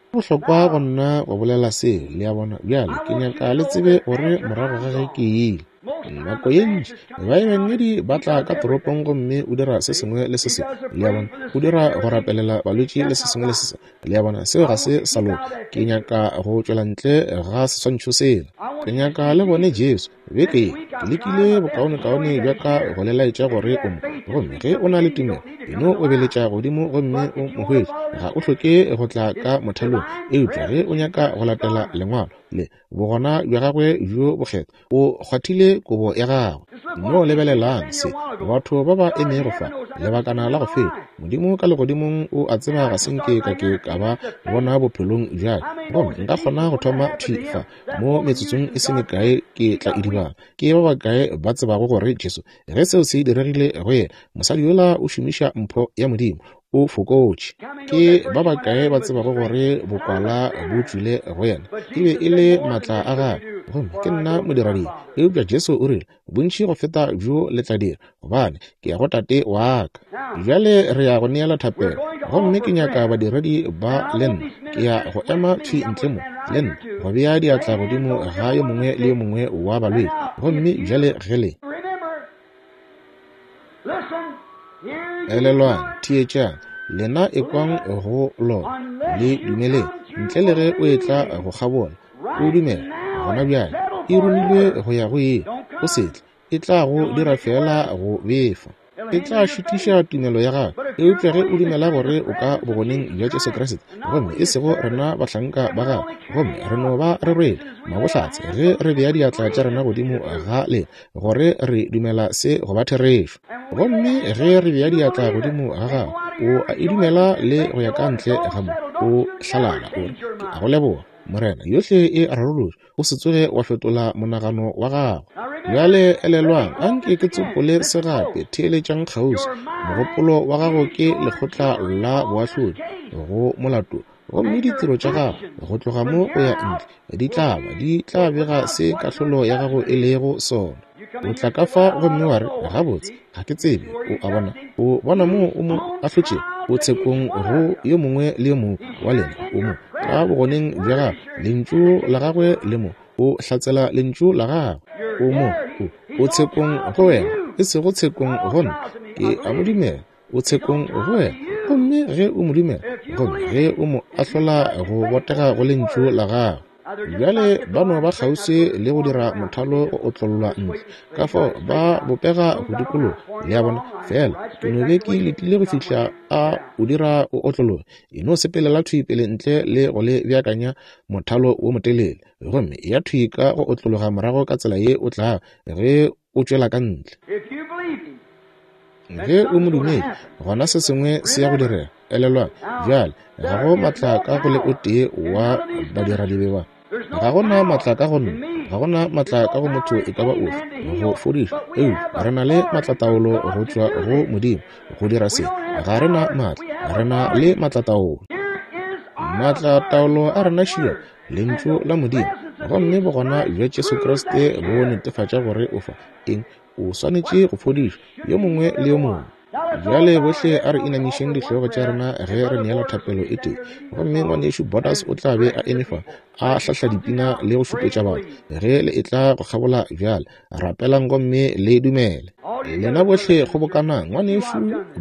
Speaker 1: Bohlokwa go nna go bolela seo, le a bona. Bjale ke nyaka le tsebe gore morago ga ge ke ile, nako ye ntši baebangedi ba tla ka toropong gomme o dira se sengwe le se sengwe, le a bona, o dira go rapelela balwetši le se sengwe le se sengwe, le a bona. Seo ga se sa loka. Ke nyaka go tšwela ntle ga seswantšho sela. Ke nyaka le bone Jesu. Beke ye ke lekile bokaonekaone bja ka go le laetša gore o mo, gomme ge o na le tumelo, eno obeletša godimo gomme o mo hwetše. Ga o hloke go tla ka mothalong, eupša ge o nyaka go latela lengwalo le bogona bja gagwe bjo bokgethwa, o kgwathile kobo ya gagwe. No lebelelang se, batho ba ba emego fa lebakana la go feta. Modimo ka legodimong o a tseba ga se nke ka ke ka ba bona bophelong bja ka, gomme nka kgona go thoma thwi fa mo metsotsong e se mekae ke tla idibala. Ke ba bakae ba tsebago gore Jesu, ge seo se diregile go yena, mosadi yola o šomiša mpho ya Modimo, o fokotše. Ke ba bakae ba tsebago gore bokwala bo tšwile go yena, e be e le maatla a gagwe, gomme ke nna modiradibe. Eupša Jesu o rile, bontši go feta bjo le tla dira, gobane ke ya go Tate wa ka. Bjale re ya go neela thapelo, gomme ke nyaka badiredi ba le nna. Ke ya go ema thwi ntle mo le nna go bea diatla godimo ga yo mongwe le yo mongwe wa balwetši. Gomme bjale ge le elelwang, theetšang, lena ekwang go lona, le dumeleng, ntle le ge o etla go kgabola, o dumela gona bjale, e romilwe go ya go ye, o se tle, e tla go dira fela go befa, e tla šitiša tumelo ya gago. Eupša ge o dumela gore o ka bogoneng bja Jesu Kriste, gomme e sego rena bahlanka ba gagwe, gomme re no ba re rwele mabohlatse ge re bea diatla tša rena godimo ga lena gore re dumela se go ba therešo, gomme ge re bea diatla godimo ga gago, o a e dumela le go ya ka ntle ga mo, o hlalala o re, ke a go leboga Morena, yohle e rarolotšwe, o se tsoge wa fetola monagano wa gago. Bjale elelwang, anke ke tsopole se gape, theeletšang kgauswi. Mogopolo wa gago ke lekgotla la boahlodi go molato, gomme ditiro tša gago go tloga mo go ya ntle di tla ba di tla bega se kahlolo ya gago e lego sona. O tla ka fa gomme wa re, gabotse, ga ke tsebe. O a bona, o bona moo o mo ahlotšego, o tshekong go yo mongwe le yo mongwe wa lena, o mo ka bogoneng bja gagwe, lentšu la gagwe le mo, o hlatsela lentšu la gagwe, o mo, o, o tshekong go wena, e sego tshekong go nna. Ke a mo dumela, o tshekong go wena, gomme ge o mo dumela, gomme ge o mo ahlola go botega go lentšu la gagwe. Bjale ba no ba kgauswi le go dira mothalo go otlollwa ntle, ka fao ba bopega go dikologa, le a bona. Fela ke no be ke letile go fihla a o dira o otlologe. E no sepelela thwi pele ntle le go le beakanya mothalo wo motelele, gomme ya thwi ka go otlologa morago ka tsela ye o tlago ge o tšwela ka ntle. Ge o mo dumedi, gona se sengwe se ya go direga. Elelwang, bjale ga go maatla ka go le o tee wa badiradibe ba. Ga gona maatla ka go nna, ga gona maatla ka go motho e ka ba ofe go fodiša, eupša re na le maatlataolo go tšwa go Modimo go dira se. Ga re na maatla, re na le maatlataolo. Maatlataolo a rena šia lentšu la Modimo, gomme bogona bja Jesu Kriste bo netefatša gore o fa eng. O swanetše go fodišwa yo mongwe le yo mongwe. Bjale bohle a re inamišeng dihlogo tša rena ge re neela thapelo e tee. Gomme ngwanešu Borders o tla be a eme fa a hlahla dipina le go šupetša batho ge le etla go kgabola. Bjale rapelang gomme le dumele. Lena bohle kgobokanang. Ngwanešu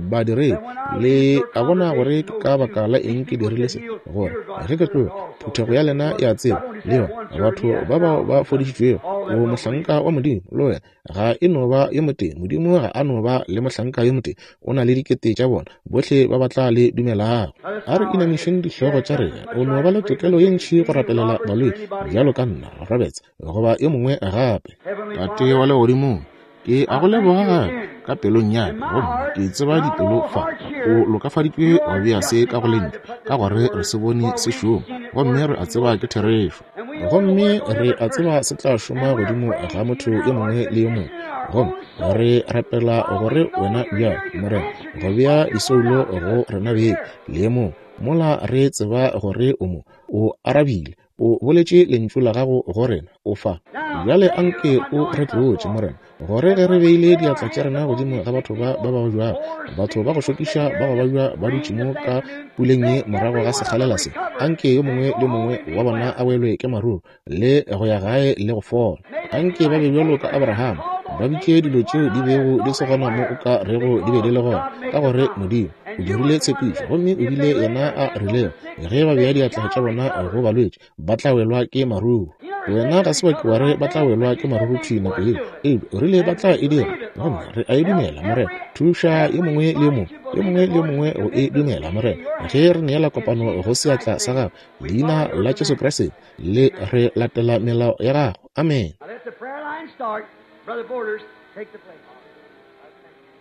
Speaker 1: badiredi, le a bona gore ke ka baka la eng ke dirile se, gore ge ke tloga phuthego ya lena e a tseba, le yona batho ba bao ba fodišitšwego. O mohlanka wa Modimo, le wena ga e no ba yo motee. Modimo ga a no ba le mohlanka yo motee, o na le dikete tša bona bohle ba ba tla le dumelago. A re inamišeng dihlogo tša rena. O no ba le tokelo ye ntši go rapelela balwetši bjalo ka nna, Roberts, goba yo mongwe gape. Tate wa legodimong, ke a go leboga gape ka pelong ya ka, gomme ke tseba dipelo fa o lokafaditšwe go bea se ka go lentšu, ka gore re se bone se šoma, gomme re a tseba ke therešo, gomme re a tseba se tla šoma godimo ga motho yo mongwe le yo mongwe. Gomme re rapela gore wena bjalo, Morena, go bea disoulo go rena beng le mong, mola re tseba gore o mo o arabile, o boletše lentšu la gago go rena, o fa. Bjale anke o re tlotše, Morena, gore ge re beile diatla tša rena godimo ga batho ba ba babjago, batho ba go šokiša ba go babja ba dutše mo ka puleng ye morago ga sekgalela se, anke yo mongwe le mongwe wa bona a welwe ke maruru le go ya gae le go fola. Anke ba be bjalo ka Abraham, ba bitše dilo tšeo di bego di se gona mo o ka rego di be di le gona, ka gore Modimo o dirile tshepišo, gomme o bile yena a rilego ge ba bea diatla tša bona go balwetši ba tla welwa ke maruru. Wena ga se wa ke wa re ba tla welwa ke maruru thwi nako yeo, eupša o rile ba tla e dira, gomme re a e dumela. Morena, thuša yo mongwe le yo mongwe, yo mongwe le yo mongwe go e dumela, Morena, ge re neela kopano go seatla sa gago, leina la Jesu Kriste, le re latela melao ya gago. Amen.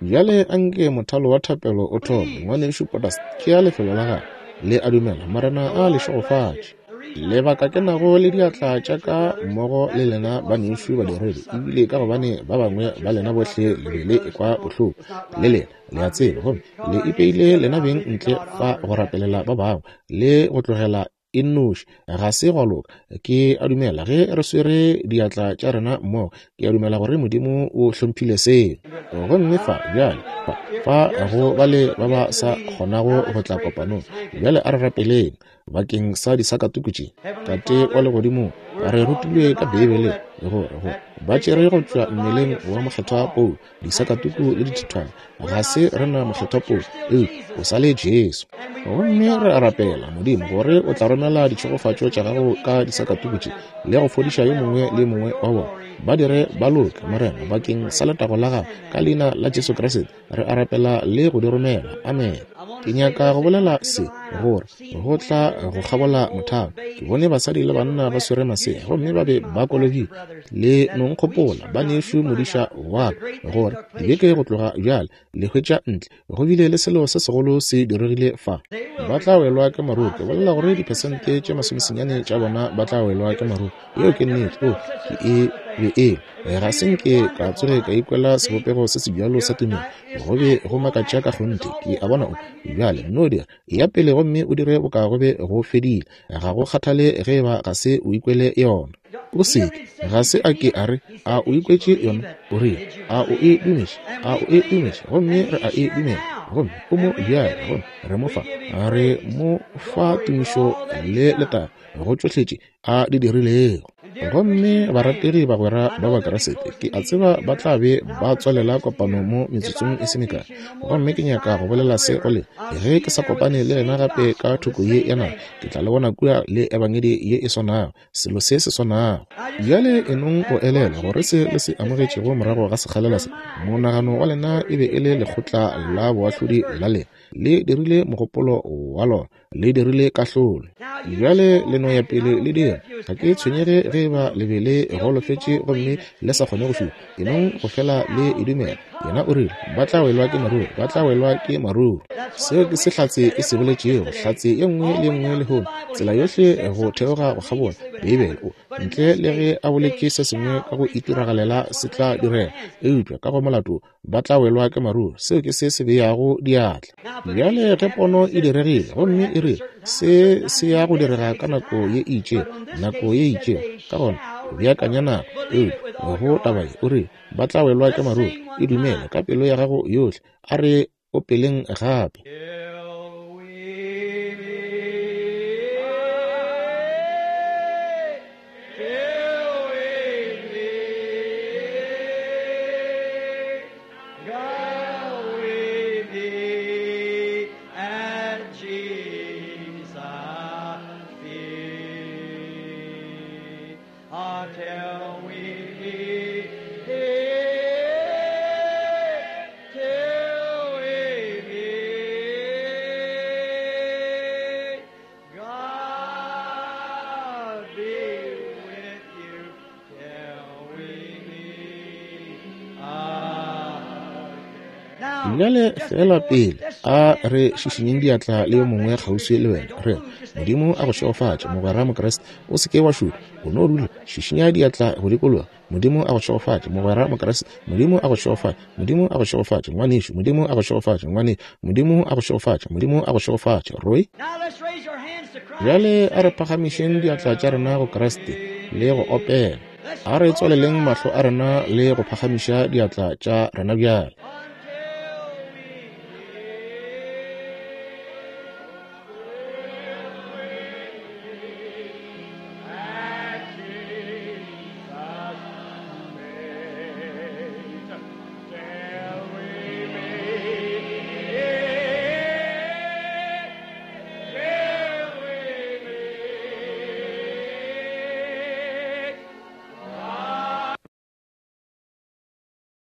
Speaker 1: Bjale anke mothalo wa thapelo o thome. Ngwanešu Borders, tšea lefelo la gago. Le a dumela, Morena a le šegofatše. Lebaka ke nago le diatla tša ka mmogo le lena banešu badiredi, ebile ka gobane ba bangwe ba lena bohle le be le ekwa bohloko le lena, le a tseba, gomme le ipeile lena beng ntle fa go rapelela ba bangwe le go tlogela e nnoši. Ga se gwa loka. Ke a dumela ge re swere diatla tša rena mmogo, ke a dumela gore Modimo o hlomphile seo. Gomme fa bjale fa fa go ba le ba ba sa kgonago go tla kopanong, bjale a re rapeleng bakeng sa disakatuku tše. Tate wa legodimong, re rutilwe ka Beibeleng gore go ba tšere go tšwa mmeleng wa mokgethwa Paulo disakatuku le dithithwana. Ga se rena mokgethwa Paulo, eupša o sa le Jesu. Gomme re a rapela, Modimo, gore o tla romela ditšhegofatšo tša gago ka disakatuku tše le go fodiša yo mongwe le yo mongwe wa bona. Ba dire ba loke, Morena, bakeng sa letago la gago, ka leina la Jesu Kriste re a rapela le go di romela. Amen. Ke nyaka go bolela se, gore go tla go kgabola mothalo, ke bone basadi le banna ba swere masea, gomme ba be ba kolobile. Le nonkgopola banešu modiša wa ka, gore dibeke go tloga bjale le hwetša ntle go bile le selo se segolo se diregile fa. Ba tla welwa ke maruru. Ke bolela gore diphesente tše masomesenyane tša bona ba tla welwa ke maruru. Yeo ke nnete. O ke e be e ga se nke ka tsoge ka ikwela sebopego se se bjalo sa tumelo. Go be go makatša ka kgonthe. Ke a bona o bjale no dira ya pele gomme o dire boka go be go fedile. Ga go kgathale ge eba ga se o ikwele yona. O seke ga se a ke a re a o ikwetše yona, o rile a o e dumetše, a o e dumetše, gomme re a e dumela, gomme o mo bjale, gomme re mo fa, re mo fa tumišo le letago go tšohle tše a di dirilego. Gomme barategi bagwera ba Bakriste, ke a tseba ba tla be ba tswalela kopano mo metsotsong e se mekae. Gomme ke nyaka go bolela se go lena. Ge ke sa kopane le lena gape ka thoko ye ya naga, ke tla le bona kua le ebangedi ye e swanago, selo se se swanago. Bjale enong go elelwa gore se le se amogetšego morago ga sekgalela se, monagano wa lena e be e le lekgotla la boahlodi la lena, le dirile mogopolo wa lona, le dirile kahlolo. Bjale le no ya pele le dira. Ga ke tshwenyege ge ba le be le golofetše gomme le sa kgone go šupa, enong go fela le e dumela. Yena o rile, ba tla welwa ke maruru, ba tla welwa ke maruru. Seo ke se hlatse e se boletšego, hlatse ye nngwe le ye nngwe lehono, tsela yohle go theoga go kgabola Beibele, o ntle le ge a boletše se sengwe ka go itiragalela se tla direga, eupša ka go molato ba tla welwa ke maruru. Seo ke se se beago diatla. Bjale ge pono e diregile gomme e rile se se ya go direga ka nako ye e itšego, nako ye e itšego, ka gona beakanya nako. Eupša go taba ye o rile ba tla welwa ke maruru, e dumele ka pelo ya gago yohle. A re opeleng gape. Bjale fela pele a re šišinyeng diatla le yo mongwe kgauswi le wena, re Modimo a go šegofatše, mogwera Mokriste. O se ke wa šuta, o no dula, šišinya diatla go dikologa. Modimo a go šegofatše, mogwera Mokriste. Modimo a go šegofatše, Modimo a go šegofatše, ngwanešu. Modimo a go šegofatše, ngwanešu. Modimo a go šegofatše, Modimo a go šegofatše, Roy. Bjale a re phagamišeng diatla tša rena go Kriste le go opela. A re tswaleleng mahlo a rena le go phagamiša diatla tša rena bjale.